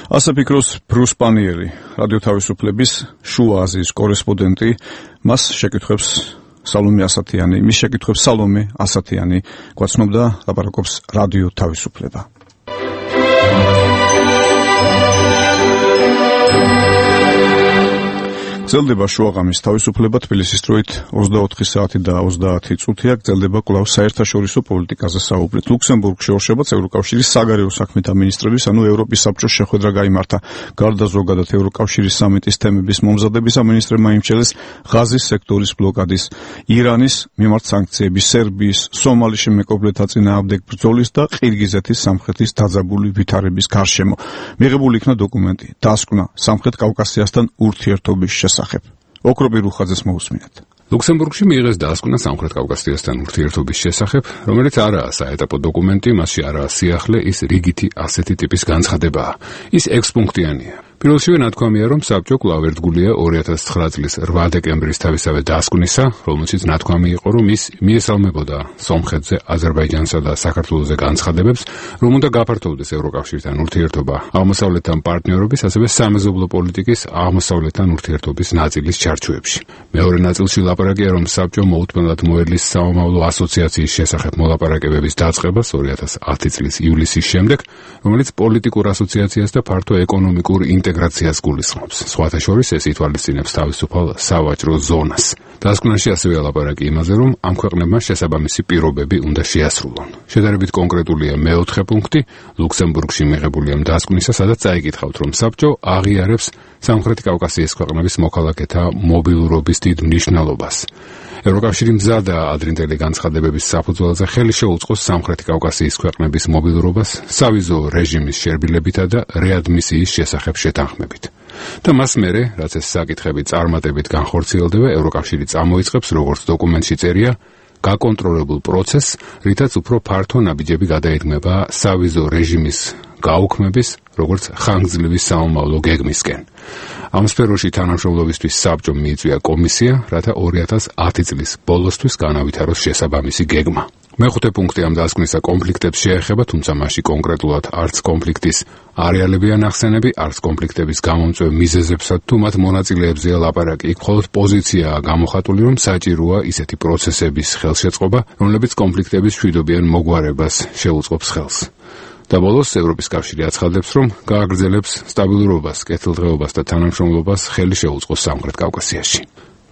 ასე ფიქრობს ბრუს პანიერი, რადიო თავისუფლების შუა აზიის კორესპონდენტი, მას შეკითხვებს სალომე ასათიანი, მის შეკითხვებს სალომე ასათიანი გვაცნობდა, ლაპარაკობს რადიო თავისუფლება. გრძელდება შუაღამის თავისუფლება, თბილისის დროით ოცდაოთხი საათი და ოცდაათი წუთია, გრძელდება კვლავ საერთაშორისო პოლიტიკაზე საუბრით. ლუქსემბურგში ორშაბათს ევროკავშირის საგარეო საქმეთა მინისტრების, ანუ ევროპის საბჭოს შეხვედრა გაიმართა. გარდა ზოგადად ევროკავშირის სამიტის თემების მომზადებისა, მინისტრებმა იმჩნევეს ღაზის სექტორის ბლოკადის, ირანის მიმართ სანქციების, სერბიის, სომალის მეკობრეთა წინააღმდეგ ბრძოლის და ყირგიზეთის სამხრეთის დაძაბული ვითარების გარშემო. მიღებული იქნა დოკუმენტი, დასკვნა სამხრეთ კავკასიასთან ურთიერთობის შესახებ. ოქროპი რუხაძეს მოусმინეთ. ლუქსემბურგში მიიღეს დასკვნა სამხრეთ კავკასიასთან ურთიერთობის შესახებ, რომელიც არაა საეტაპო დოკუმენტი, მასში არაა სიახლე, ის რიგითი ასეთი ტიპის განცხადებაა. ის ექვსპუნქტიანია. პირველშივე ნათქვამია, რომ საბჭო კვლავ ერთგულია ორი ათას ცხრა წლის რვა დეკემბრის თავისავე დასკვნისა, რომელშიც ნათქვამი იყო, რომ ის მიესალმებოდა სომხეთზე, აზერბაიჯანსა და საქართველოზე განცხადებებს, რომ უნდა გაფართოვდეს ევროკავშირთან ურთიერთობა აღმოსავლეთთან პარტნიორობის, ასევე სამეზობლო პოლიტიკის აღმოსავლეთთან ურთიერთობის ნაწილის ჩარჩოებში. მეორე ნაწილში ლაპარაკია, რომ საბჭო მოუთმენლად მოედლის სამომავლო ასოციაციის შესახებ მოლაპარაკებების დაწყებას ორი ათას ათი წლის ივლისის შემდეგ, რომელიც პოლიტიკურ ასოციაციას და ფართო ეკონომიკურ ინტეგრაციას გულისხმობს. სხვათა შორის ეს ითვალისწინებს თავისუფალ სავაჭრო ზონას. დასკვნაში ასევე ლაპარაკი იმაზე, რომ ამ ქვეყნებმა შესაბამისი პირობები უნდა შეასრულონ. შედარებით კონკრეტულია მეოთხე პუნქტი ლუქსემბურგში მიღებული ამ დასკვნისა, სადაც წაიკითხავთ, რომ საბჭო აღიარებს სამხრეთ კავკასიის ქვეყნების მოქალაქეთა მობილურობის დიდ მნიშვნელობას. ევროკავშირი მზადაა ადრინდელი განცხადებების საფუძველზე ხელი შეუწყოს სამხრეთ კავკასიის ქვეყნების მობილურობას სავიზო რეჟიმის შერბილებითა და რეადმისიის შესახებ შეთანხმებით. და მას მერე, რაც ეს საკითხები წარმატებით განხორციელდება, ევროკავშირი წამოიწყებს, როგორც დოკუმენტში წერია, გაკონტროლებულ პროცესს, რითაც უფრო ფართო ნაბიჯები გადაიღება სავიზო რეჟიმის გაუქმების, როგორც ხანგრძლივი საომავლო გეგმისკენ. ამ სფეროში თანამშრომლობისთვის საბჭომ მიიწვია კომისია, რათა ორი ათას ათი წლის ბოლოსთვის განავითაროს შესაბამისი გეგმა. მეხუთე პუნქტი ამ დასკვნისა კონფლიქტებს შეეხება, თუმცა მასში კონკრეტულად არც კონფლიქტის არეალებია ნახსენები, არც კონფლიქტების გამომწვევ მიზეზებსა თუ მათ მონაწილეებზეა ლაპარაკი. იქ მხოლოდ პოზიციაა გამოხატული, რომ საჭიროა ისეთი პროცესების ხელშეწყობა, რომლებიც კონფლიქტების მშვიდობიან მოგვარებას შეუწყობს ხელს. და ბოლოს ევროპის კავშირი აცხადებს, რომ გააგრძელებს სტაბილურობას, კეთილდღეობას და თანამშრომლობას ხელი შეუწყოს სამხრეთ კავკასიაში.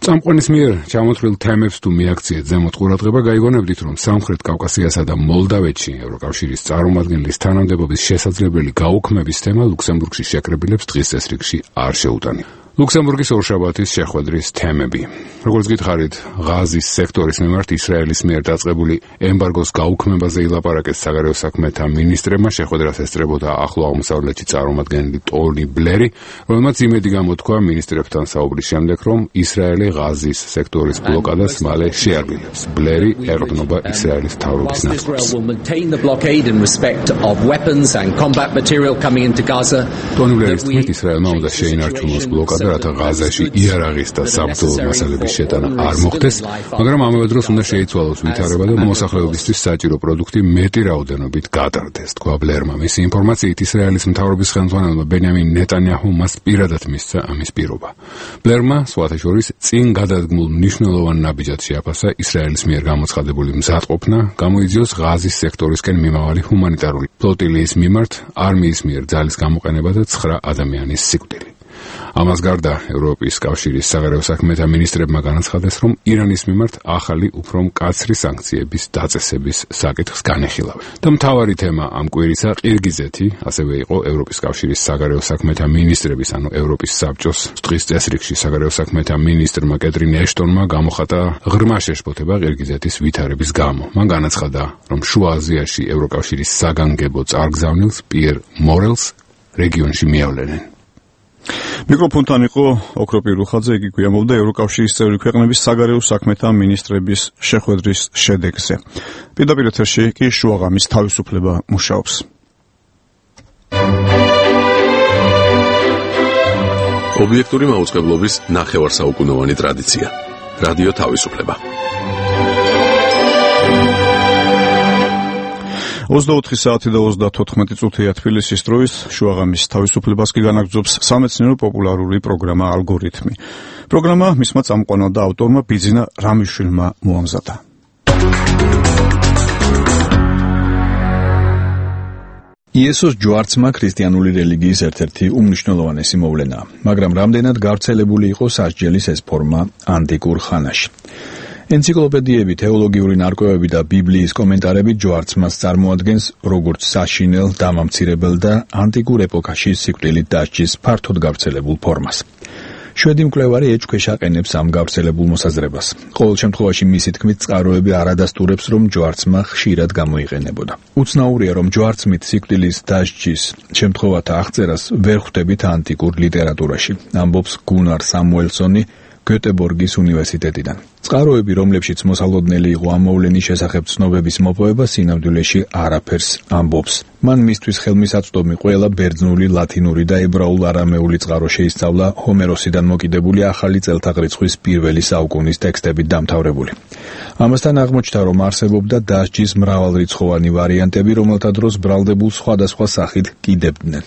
წამყვანის მიერ ჩამოთვლილ თემებს თუ მიაქციეთ ზემოთ ყურადღება, გაიგონებდით, რომ სამხრეთ კავკასიასა და მოლდავეთში ევროკავშირის წარმომადგენლის თანამდებობის შესაძლებელი გაუქმების თემა ლუქსემბურგში შეკრებილებს დღის წესრიგში არ შეუტანია. ლუქსემბურგის ორშაბათის შეხვედრის თემები. როგორც გითხარით, ღაზის სექტორის მიმართ ისრაელის მიერ დაწყებული ემბარგოს გაუქმებაზე ილაპარაკეს საგარეო საქმეთა მინისტრებმა. შეხვედრას ესწრებოდა ახლო აღმოსავლეთში წარმომადგენელი ტონი ბლერი, რომელმაც იმედი გამოთქვა მინისტრებთან საუბრის შემდეგ, რომ ისრაელი ღაზის სექტორის ბლოკადას მალე შეარბილებს. ბლერი ეყრდნობა ისრაელის მთავრობის ნაცვლებს. ტონი ბლერის თქმით, ისრაელმა უნდა შეინარჩუნოს ბლოკადა, რათა ღაზაში იარაღის და საბრძოლო მასალების შეტანა არ მოხდეს, მაგრამ ამავე დროს უნდა შეიცვალოს ვითარება და მოსახლეობისთვის საჭირო პროდუქტი მეტი რაოდენობით გატარდეს, თქვა ბლერმა. მისი ინფორმაციით, ისრაელის მთავრობის ხელმძღვანელმა ბენიამინ ნეტანიაჰუ მას პირადად მისცა ამის პირობა. ბლერმა სხვათა შორის წინ გადადგმულ მნიშვნელოვან ნაბიჯად შეაფასა ისრაელის მიერ გამოცხადებული მზადყოფნა, გამოიძიოს ღაზის სექტორისკენ მიმავალი ჰუმანიტარული ფლოტილიის მიმართ არმიის მიერ ძალის გამოყენება და ცხრა ადამიანის სიკვდილი. ამას გარდა ევროპის კავშირის საგარეო საქმეთა მინისტრებმა განაცხადეს, რომ ირანის მიმართ ახალი უფრო მკაცრი სანქციების დაწესების საკითხს განეხილავენ. და მთავარი თემა ამ კვირისა ყირგიზეთი, ასევე იყო ევროპის კავშირის საგარეო საქმეთა მინისტრების, ანუ ევროპის საბჭოს დღის წესრიგში საგარეო საქმეთა მინისტრმა კეტრინ ეშტონმა გამოხატა ღრმა შეშფოთება ყირგიზეთის ვითარების გამო. მან განაცხადა, რომ შუა აზიაში ევროკავშირის საგანგებო წარგზავნილს პიერ მორელს რეგიონში მიავლენენ. მიკროფონთან იყო ოქროპი რუხაძე, იგი გვიამბობდა ევროკავშირის წევრი ქვეყნების საგარეო საქმეთა მინისტრების შეხვედრის შედეგზე. პირდაპირ ეთერში კი შუაღამის თავისუფლება მუშაობს. ობიექტური მაუწყებლობის ნახევარსაუკუნოვანი ტრადიცია. რადიო თავისუფლება. ოცდაოთხი საათი და ოცდათოთხმეტი წუთია თბილისის დროის შუაღამის თავისუფლებას კი განაგრძობს სამეცნიერო პოპულარული პროგრამა ალგორითმი. პროგრამა მისმა წამყვანმა და ავტორმა ბიძინა რამიშვილმა მოამზადა. იესოს ჯვარცმა ქრისტიანული რელიგიის ერთ-ერთი უმნიშვნელოვანესი მოვლენაა, მაგრამ რამდენად გავრცელებული იყო სასჯელის ეს ფორმა ანტიკურ ხანაში. ენციკლოპედიები, თეოლოგიური ნარკვევები და ბიბლიის კომენტარები ჯვარცმას წარმოადგენს როგორც საშინელ, დამამცირებელ და ანტიკურ ეპოქაში სიკვდილით დასჯის ფართოდ გავრცელებულ ფორმას. შვედი მკვლევარი ეჭქვეშ აყენებს ამ გავრცელებულ მოსაზრებას. ყოველ შემთხვევაში მისი თქმით წყაროები არ ადასტურებს, რომ ჯვარცმა ხშირად გამოიყენებოდა. უცნაურია, რომ ჯვარცმით სიკვდილის დასჯის შემთხვევათა აღწერას ვერ ხვდებით ანტიკურ ლიტერატურაში, ამბობს გუნარ სამუელსონი გეტებორგის უნივერსიტეტიდან. წყაროები, რომლებშიც მოსალოდნელი იყო ამ მოვლენის შესახებ ცნობების მოპოვება, სინამდვილეში არაფერს ამბობს. მან მისთვის ხელმისაწვდომი ყველა ბერძნული, ლათინური და ებრაულ-არამეული წყარო შეისწავლა ჰომეროსიდან მოკიდებული ახალი წელთაღრიცხვის პირველი საუკუნის ტექსტებით დამთავრებული. ამასთან აღმოჩნდა, რომ არსებობდა დასჯის მრავალრიცხოვანი ვარიანტები, რომელთა დროს ბრალდებულ სხვადასხვა სახით კიდებდნენ.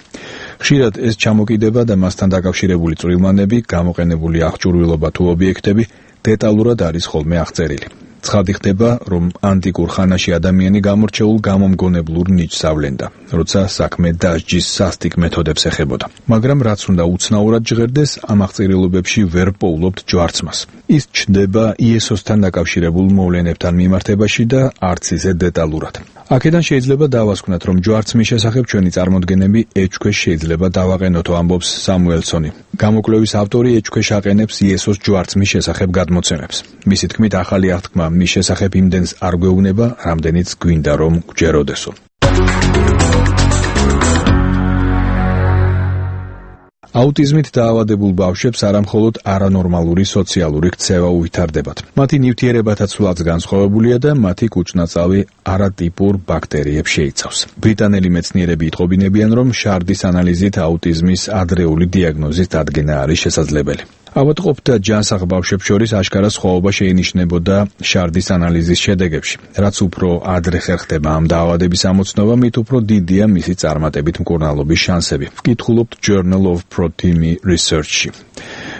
ხშირად ეს ჩამოკიდება და მასთან დაკავშირებული წვრილმანები, გამოყენებული აღჭურვილობა თუ ობიექტები დეტალურად არის ხოლმე აღწერილი. ცხადი ხდება, რომ ანტიკურ ხანაში ადამიანი გამორჩეულ გამომგონებლურ ნიჭს ავლენდა, როცა საქმე დასჯის სასტიკ მეთოდებს ეხებოდა. მაგრამ რაც უნდა უცნაურად ჟღერდეს, ამ აღწერილობებში ვერ პოულობთ ჯვარცმას. ის ჩნდება იესოსთან დაკავშირებულ მოვლენებთან მიმართებაში და არც ისე დეტალურად. აქედან შეიძლება დავასკვნათ, რომ ჯვარცმის შესახებ ჩვენი წარმოდგენები ეჭქვეშ შეიძლება დავაყენოთო, ამბობს სამუელსონი. გამოკვლევის ავტორი ეჭქვეშ აყენებს იესოს ჯვარცმის შესახებ გადმოცემებს. მისი თქმით, ახალი აღთქმა მის შესახებ იმდენს არ გვეუბნება, რამდენიც გვინდა რომ გვჯეროდესო. აუტიზმით დაავადებულ ბავშვებს არამხოლოდ არანორმალური სოციალური ქცევა უვითარდებათ. მათი ნივთიერებათაც სულაც განსხვავებულია და მათი კუჭნაწავი არატიპურ ბაქტერიებს შეიცავს. ბრიტანელი მეცნიერები იტყობინებიან, რომ შარდის ანალიზით აუტიზმის ადრეული დიაგნოზის დადგენა არის შესაძლებელი. ავადმყოფთა ჯანსაღ ბავშვებს შორის აშკარა სხვაობა შეინიშნებოდა შარდის ანალიზის შედეგებში. რაც უფრო ადრე ხერხდება ამ დაავადების ამოცნობა, მით უფრო დიდია მისი წარმატებით მკურნალობის შანსები. ვკითხულობთ Journal of Protein Research-ში.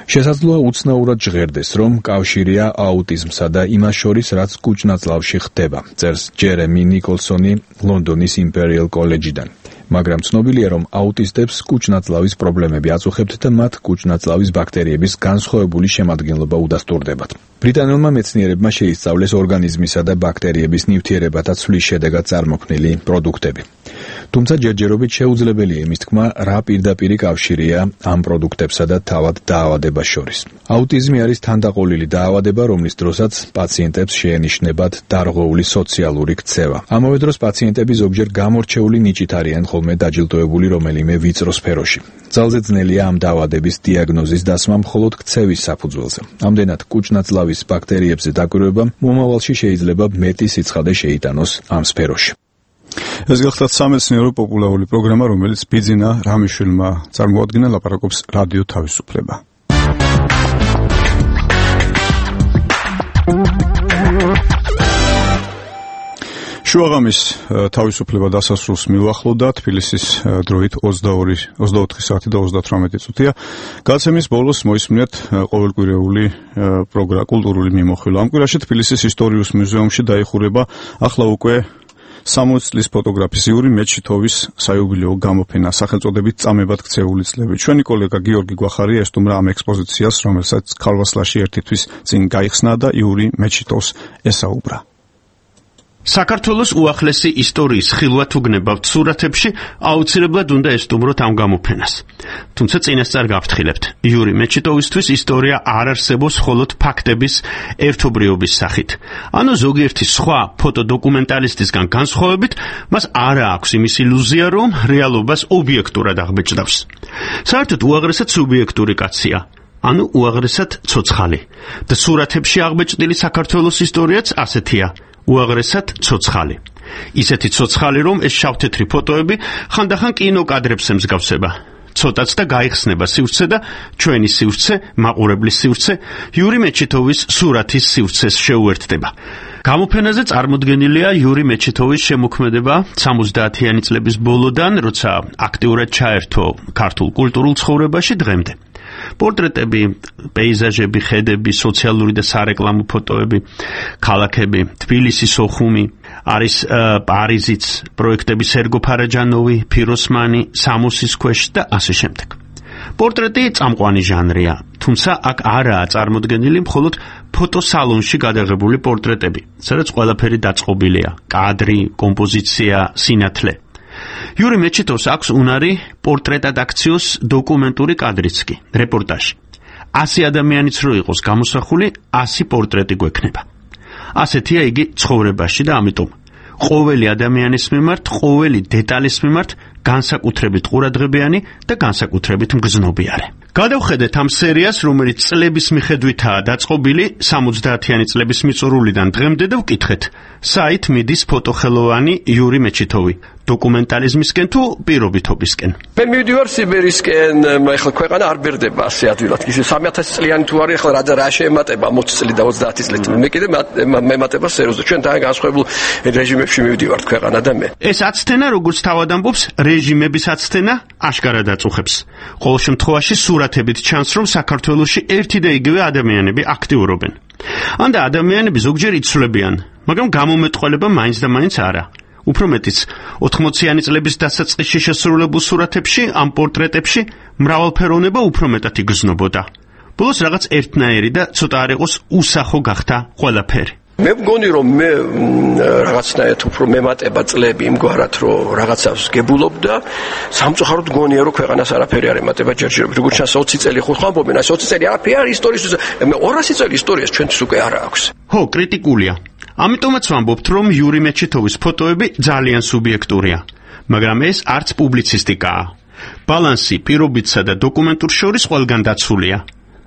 შესაძლოა უცნაურად ჟღერდეს, რომ კავშირია აუტიზმსა და იმას შორის, რაც კუჭნაწლავში ხდება, წერს ჯერემი ნიკოლსონი ლონდონის იმპერიალ კოლეჯიდან. მაგრამ ცნობილია, რომ აუტისტებს კუჭნაწლავის პრობლემები აწუხებთ და მათ კუჭნაწლავის ბაქტერიების განსხვავებული შემადგენლობა უდასტურდებათ. ბრიტანელმა მეცნიერებმა შეისწავლეს ორგანიზმისა და ბაქტერიების ნივთიერებათა ცვლის შედეგად წარმოქმნილი პროდუქტები. თუმცა ჯერჯერობით შეუძლებელია იმის თქმა, რა პირდაპირი კავშირია ამ პროდუქტებსა და თავად დაავადებას შორის. აუტიზმი არის თანდაყოლილი დაავადება, რომლის დროსაც პაციენტებს შეენიშნებათ დარღვეული სოციალური ქცევა. ამავე დროს პაციენტები ზოგჯერ გამორჩეული ნიჭით არიან ხოლმე დაჯილდოებული რომელიმე ვიწრო სფეროში. ძალზე ძნელია ამ დაავადების დიაგნოზის დასმა მხოლოდ ქცევის საფუძველზე. ამდენად კუჭნაწლავის ბაქტერიებზე დაკვირვება მომავალში შეიძლება მეტი სიცხადე შეიტანოს ამ სფეროში. ეს გახლავთ სამეცნიერო პოპულარული პროგრამა, რომელიც ბიძინა რამიშვილმა წარმოადგინა, ლაპარაკობს რადიო თავისუფლება. შუაღამის თავისუფლება დასასრულს მიუახლოვდა, თბილისის დროით ოცდაოთხი საათი და ოცდათვრამეტი წუთია. გადაცემის ბოლოს მოისმინეთ ყოველკვირეული პროგრამა კულტურული მიმოხილვა. ამ კვირაში თბილისის ისტორიულ მუზეუმში დაიხურება ახლა უკვე სამოცი წლის ფოტოგრაფისტური მეჩითოვის საიუბილეო გამოფენა სახელწოდებით წამებად ქცეული წლები. ჩვენი კოლეგა გიორგი გვახარია ესტუმრა ამ ექსპოზიციას, რომელსაც ქალვასლაში ერთი თვის წინ გაიხსნა და იური მეჩითოვს ესაუბრა. საქართველოს უახლესი ისტორიის ხილვა თუ გნებავთ სურათებში, აუცილებლად უნდა ესტუმროთ ამ გამოფენას. თუმცა წინასწარ გავფრთხილებთ, იური მეჩიტოვისთვის ისტორია არ არსებობს მხოლოდ ფაქტების ერთობრიობის სახით. ანუ ზოგიერთი სხვა ფოტოდოკუმენტალისტისგან განსხვავებით, მას არ აქვს იმის ილუზია, რომ რეალობას ობიექტურად აღბეჭდავს. საერთოდ უაღრესად სუბიექტური კაცია. ანუ უაღრესად ცოცხალი. და სურათებში აღბეჭდილი საქართველოს ისტორიაც ასეთია. უაღრესად ცოცხალი. ისეთი ცოცხალი, რომ ეს შავთეთრი ფოტოები ხანდახან კინოკადრებს ემსგავსება. ცოტაც და გაიხსნება სივრცე და ჩვენი სივრცე, მაყურებლის სივრცე, იური მეჩითოვის სურათის სივრცეს შეუერთდება. გამოფენაზე წარმოდგენილია იური მეჩეთოვის შემოქმედება სამოცდაათიანი წლების ბოლოდან, როცა აქტიურად ჩაერთო ქართულ კულტურულ ცხოვრებაში დღემდე. პორტრეტები, პეიზაჟები, ხედები, სოციალური და სარეკლამო ფოტოები, ქალაქები, თბილისის ოხუმი, არის პარიზიც, პროექტები სერგო ფარაჯანოვი, ფიროსმანი, სამოსის ქვეშ და ასე შემდეგ. პორტრეტი წამყვანი ჟანრია, თუმცა აქ არაა წარმოდგენილი მხოლოდ ფოტოსალონში გადაღებული პორტრეტები, სადაც ყველაფერი დაწყობილია: კადრი, კომპოზიცია, სინათლე. იური მეჩეთოვს აქვს უნარი პორტრეტად აქციოს დოკუმენტური კადრიც კი, რეპორტაჟი. ასი ადამიანიც რო იყოს გამოსახული, ასი პორტრეტი გვექნება. ასეთია იგი ცხოვრებაში და ამიტომ ყოველი ადამიანის მიმართ, ყოველი დეტალის მიმართ განსაკუთრებით ყურადღებიანი და განსაკუთრებით მგრძნობიარე. გადავხედეთ ამ სერიას, რომელიც წლების მიხედვითაა დაწყობილი სამოცდაათიანი წლების მიწურულიდან დღემდე და ვკითხეთ, საით მიდის ფოტოხელოვანი იური მეჩეთოვი, დოკუმენტალიზმისკენ თუ პირობითობისკენ. მე მივდივარ სიბერისკენ, ეხლა ქვეყანა არ ბერდება ასე ადვილად. ისე სამი ათასი წლიანი თუ არის, ეხლა რა რა შეემატება ოცი წელი და ოცდაათი წელი. მე კიდე მემატება სერიოზულად. ჩვენ თან განსხვავებულ რეჟიმებში მივდივართ ქვეყანა და მე. ეს აცთენა, როგორც თავად ამბობს, რეჟიმების აცთენა აშკარად აწუხებს. ყოველ შემთხვევაში სურათებით ჩანს, რომ საქართველოში ერთი და იგივე ადამიანები აქტიურობენ. ანდა ადამიანები ზოგჯერ იცვლებიან, მაგრამ გამომეტყველება მაინც და მაინც არა. უფრო მეტიც, ოთხმოციანი წლების დასაწყისში შესრულებულ სურათებში, ამ პორტრეტებში მრავალფეროვნება უფრო მეტად იგრძნობოდა. ბოლოს რაღაც ერთნაირი და ცოტა არ იყოს უსახო გახდა ყველაფერი. მე მგონი რომ მე რაღაცნაირად უფრო მემატება წლები იმგვარად რომ რაღაცას გებულობდა, სამწუხაროდ მგონია რომ ქვეყანას არაფერი არ ემატება ჯერჯერობით. როგორც ჩანს ოცი წელი ხო ხამბობენ, ეს ოცი წელი არაფერი არ ისტორიის, ორასი წელი ისტორიას ჩვენთვის უკვე არ აქვს. ხო, კრიტიკულია. ამიტომაც ვამბობთ, რომ იური მეჩეთოვის ფოტოები ძალიან სუბიექტურია, მაგრამ ეს არც პუბლიცისტიკაა. ბალანსი პირობითსა და დოკუმენტურ შორის ყველგან დაცულია.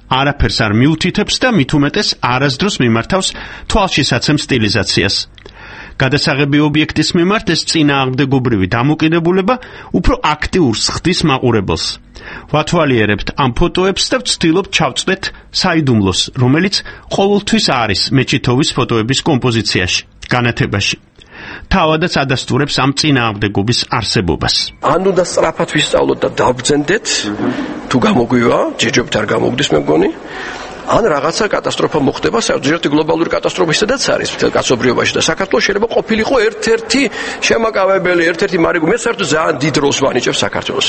არაფერს არ მიუთითებს და მით უმეტეს არასდროს მიმართავს თვალშისაცემ სტილიზაციას. გადასაღები ობიექტის მიმართ ეს წინააღმდეგობრივი დამოკიდებულება უფრო აქტიურს ხდის მაყურებელს. ვათვალიერებთ ამ ფოტოებს და ვცდილობთ ჩავწვდეთ საიდუმლოს, რომელიც ყოველთვის არის მეჩეთოვის ფოტოების კომპოზიციაში, განათებაში. თავადაც ადასტურებს ამ წინააღმდეგობის არსებობას. ან უნდა სწრაფად ვისწავლოთ და დავბრძენდეთ, თუ გამოგვივა, ჯერჯერობით არ გამოგდის მე მგონი. ან რაღაცა კატასტროფა მოხდება, საერთოდ გლობალური კატასტროფა ისედაც არის მთელ კაცობრიობაში და საქართველოს შეიძლება ყოფილიყო ერთ-ერთი შემაკავებელი, ერთ-ერთი მარიგო. მე საერთოდ ძალიან დიდ როლს ვანიჭებ საქართველოს.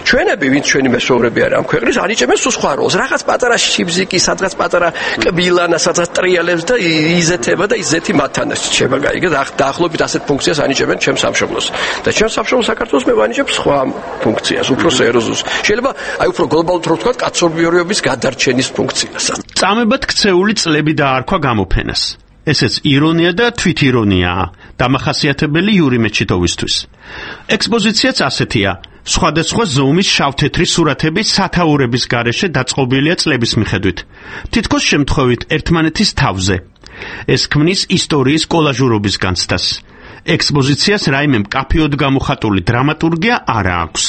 ჩვენები, ვინც ჩვენი მეზობლები არის ამ ქვეყნის, ანიჭებენ სულ სხვა როლს. რაღაც პატარა შიბზიკი, სადღაც პატარა კბილანა, სადღაც ტრიალებს და იზეთება და იზეთი მათთან შეება გაიგე. დაახლოებით ასეთ ფუნქციას ანიჭებენ ჩემს სამშობლოს. და ჩემს სამშობლოს საქართველოს მე ვანიჭებ სხვა ფუნქციას, უფრო სერიოზულს. შეიძლება აი უფრო გლობალურად რო ვთქვა, კაცობრიობის გადარჩენის ფუნქციას. წამებად ქცეული წლები დაარქვა გამოფენას. ესეც ირონია და თვითირონიაა, დამახასიათებელი იური მეჩეთოვისთვის. ექსპოზიციაც ასეთია. სხვადასხვა ზომის შავთეთრი სურათები სათაურების გარეშე დაწყობილია წლების მიხედვით. თითქოს შემთხვევით ერთმანეთის თავზე. ეს ქმნის ისტორიის კოლაჟურობის განცდას. ექსპოზიციას რაიმე მკაფიოდ გამოხატული დრამატურგია არა აქვს,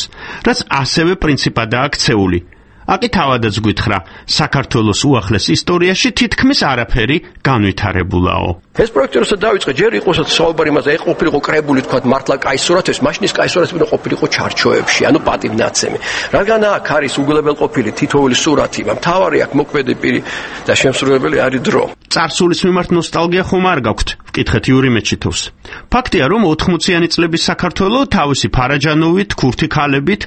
რაც ასევე პრინციპადაა ქცეული. აკი თავადაც გითხრა, საქართველოს უახლეს ისტორიაში თითქმის არაფერი განვითარებულაო. ეს პროექტი როცა დაიწყე, ჯერ იყო საუბარი იმაზე, ეხ ყოფილიყო კრებული თქვა მართლა კაი სურათებს, მაშინ ის კაი სურათები ყოფილიყო ჩარჩოებში, ანუ პატივნაცემი. რადგან აქ არის უგლებელყოფილი თითოეული სურათი, მთავარი აქ მოქმედი პირი და შემსრულებელი არის დრო. წარსულის მიმართ ნოსტალგია ხომ არ გაქვთ? ვკითხეთ იური მეჩეთოვს. ფაქტია, რომ ოთხმოციანი წლების საქართველო თავისი ფარაჯანოვით, ქურთი ქალებით,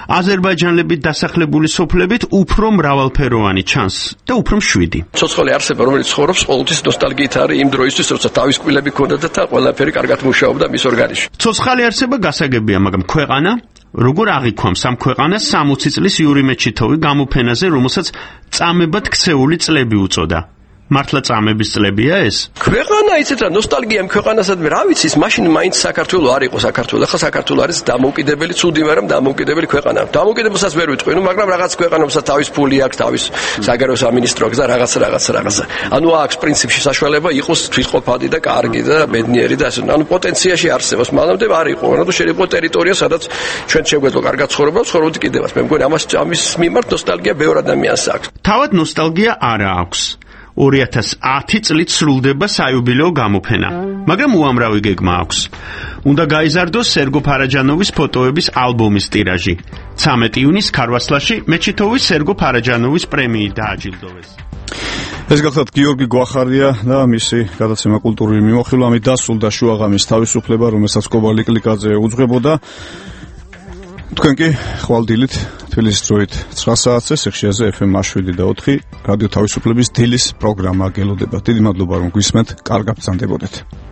აზერბაიჯანელებით დასახლებული სოფლებით უფრო მრავალფეროვანი ჩანს და უფრო მშვიდი. ცოცხალი არსება, რომელიც ცხოვრობს ყოველთვის ნოსტალგიით არის იმ დროისთვის, როცა თავის კბილები ჰქონდა და ყველაფერი კარგად მუშაობდა მის ორგანიზმში. ცოცხალი არსება გასაგებია, მაგრამ ქვეყანა როგორ აღიქვამს ამ ქვეყანას სამოცი წლის იური მეჩეთოვი გამოფენაზე, რომელსაც წამებად ქცეული წლები უწოდა. მართლა წამების წლებია ეს? ქვეყანა იცით რა ნოსტალგია იმ ქვეყანასადმე რა ვიცი, მაშინ მაინც საქართველო არ იყო საქართველო. ახლა საქართველო არის დამოუკიდებელი, ცუდი, მაგრამ დამოუკიდებელი ქვეყანა. დამოუკიდებელსაც ვერ ვიტყვი, ნუ მაგრამ რაღაც ქვეყანებსაც თავის ფული აქვს, თავის საგარეო სამინისტრო აქვს და რაღაც რაღაც რაღაც. ანუ აქვს პრინციპში საშუალება იყოს თვითყოფადი და კარგი და ბედნიერი და ასე. ანუ პოტენციაში არსებობს, მანამდე არ იყო. ანუ შეიძლება ტერიტორია, სადაც ჩვენ შეგვეძლო კარგად ცხოვრება, ცხოვრობდი კიდევაც. მე მგონი ამას ამის მიმართ ნოსტალგია ბევრ ადამიანს აქვს. თავად ნოსტალგია არა აქვს. ორი ათას ათი წლით სრულდება საიუბილეო გამოფენა, მაგრამ უამრავი გეგმა აქვს. უნდა გაიზარდოს სერგო ფარაჯანოვის ფოტოების ალბომის ტირაჟი. ცამეტი იუნის ქარვასლაში მეჩითოვის სერგო ფარაჯანოვის პრემიით დააჯილდოვეს. ეს გახლავთ გიორგი გვახარია და მისი გადაცემა კულტურული მიმოხილვა. ამით დასრულდა შუაღამის თავისუფლება, რომელსაც კობალი კლიკაძე უძღვებოდა. თქვენ კი ხვალდილით თბილისის დროით ცხრა საათზე სიხშირეზე ეფ ემ შვიდი და ოთხი რადიო თავისუფლების დილის პროგრამა გელოდება. დიდი მადლობა რომ გვისმენთ, კარგად ბრძანდებოდეთ.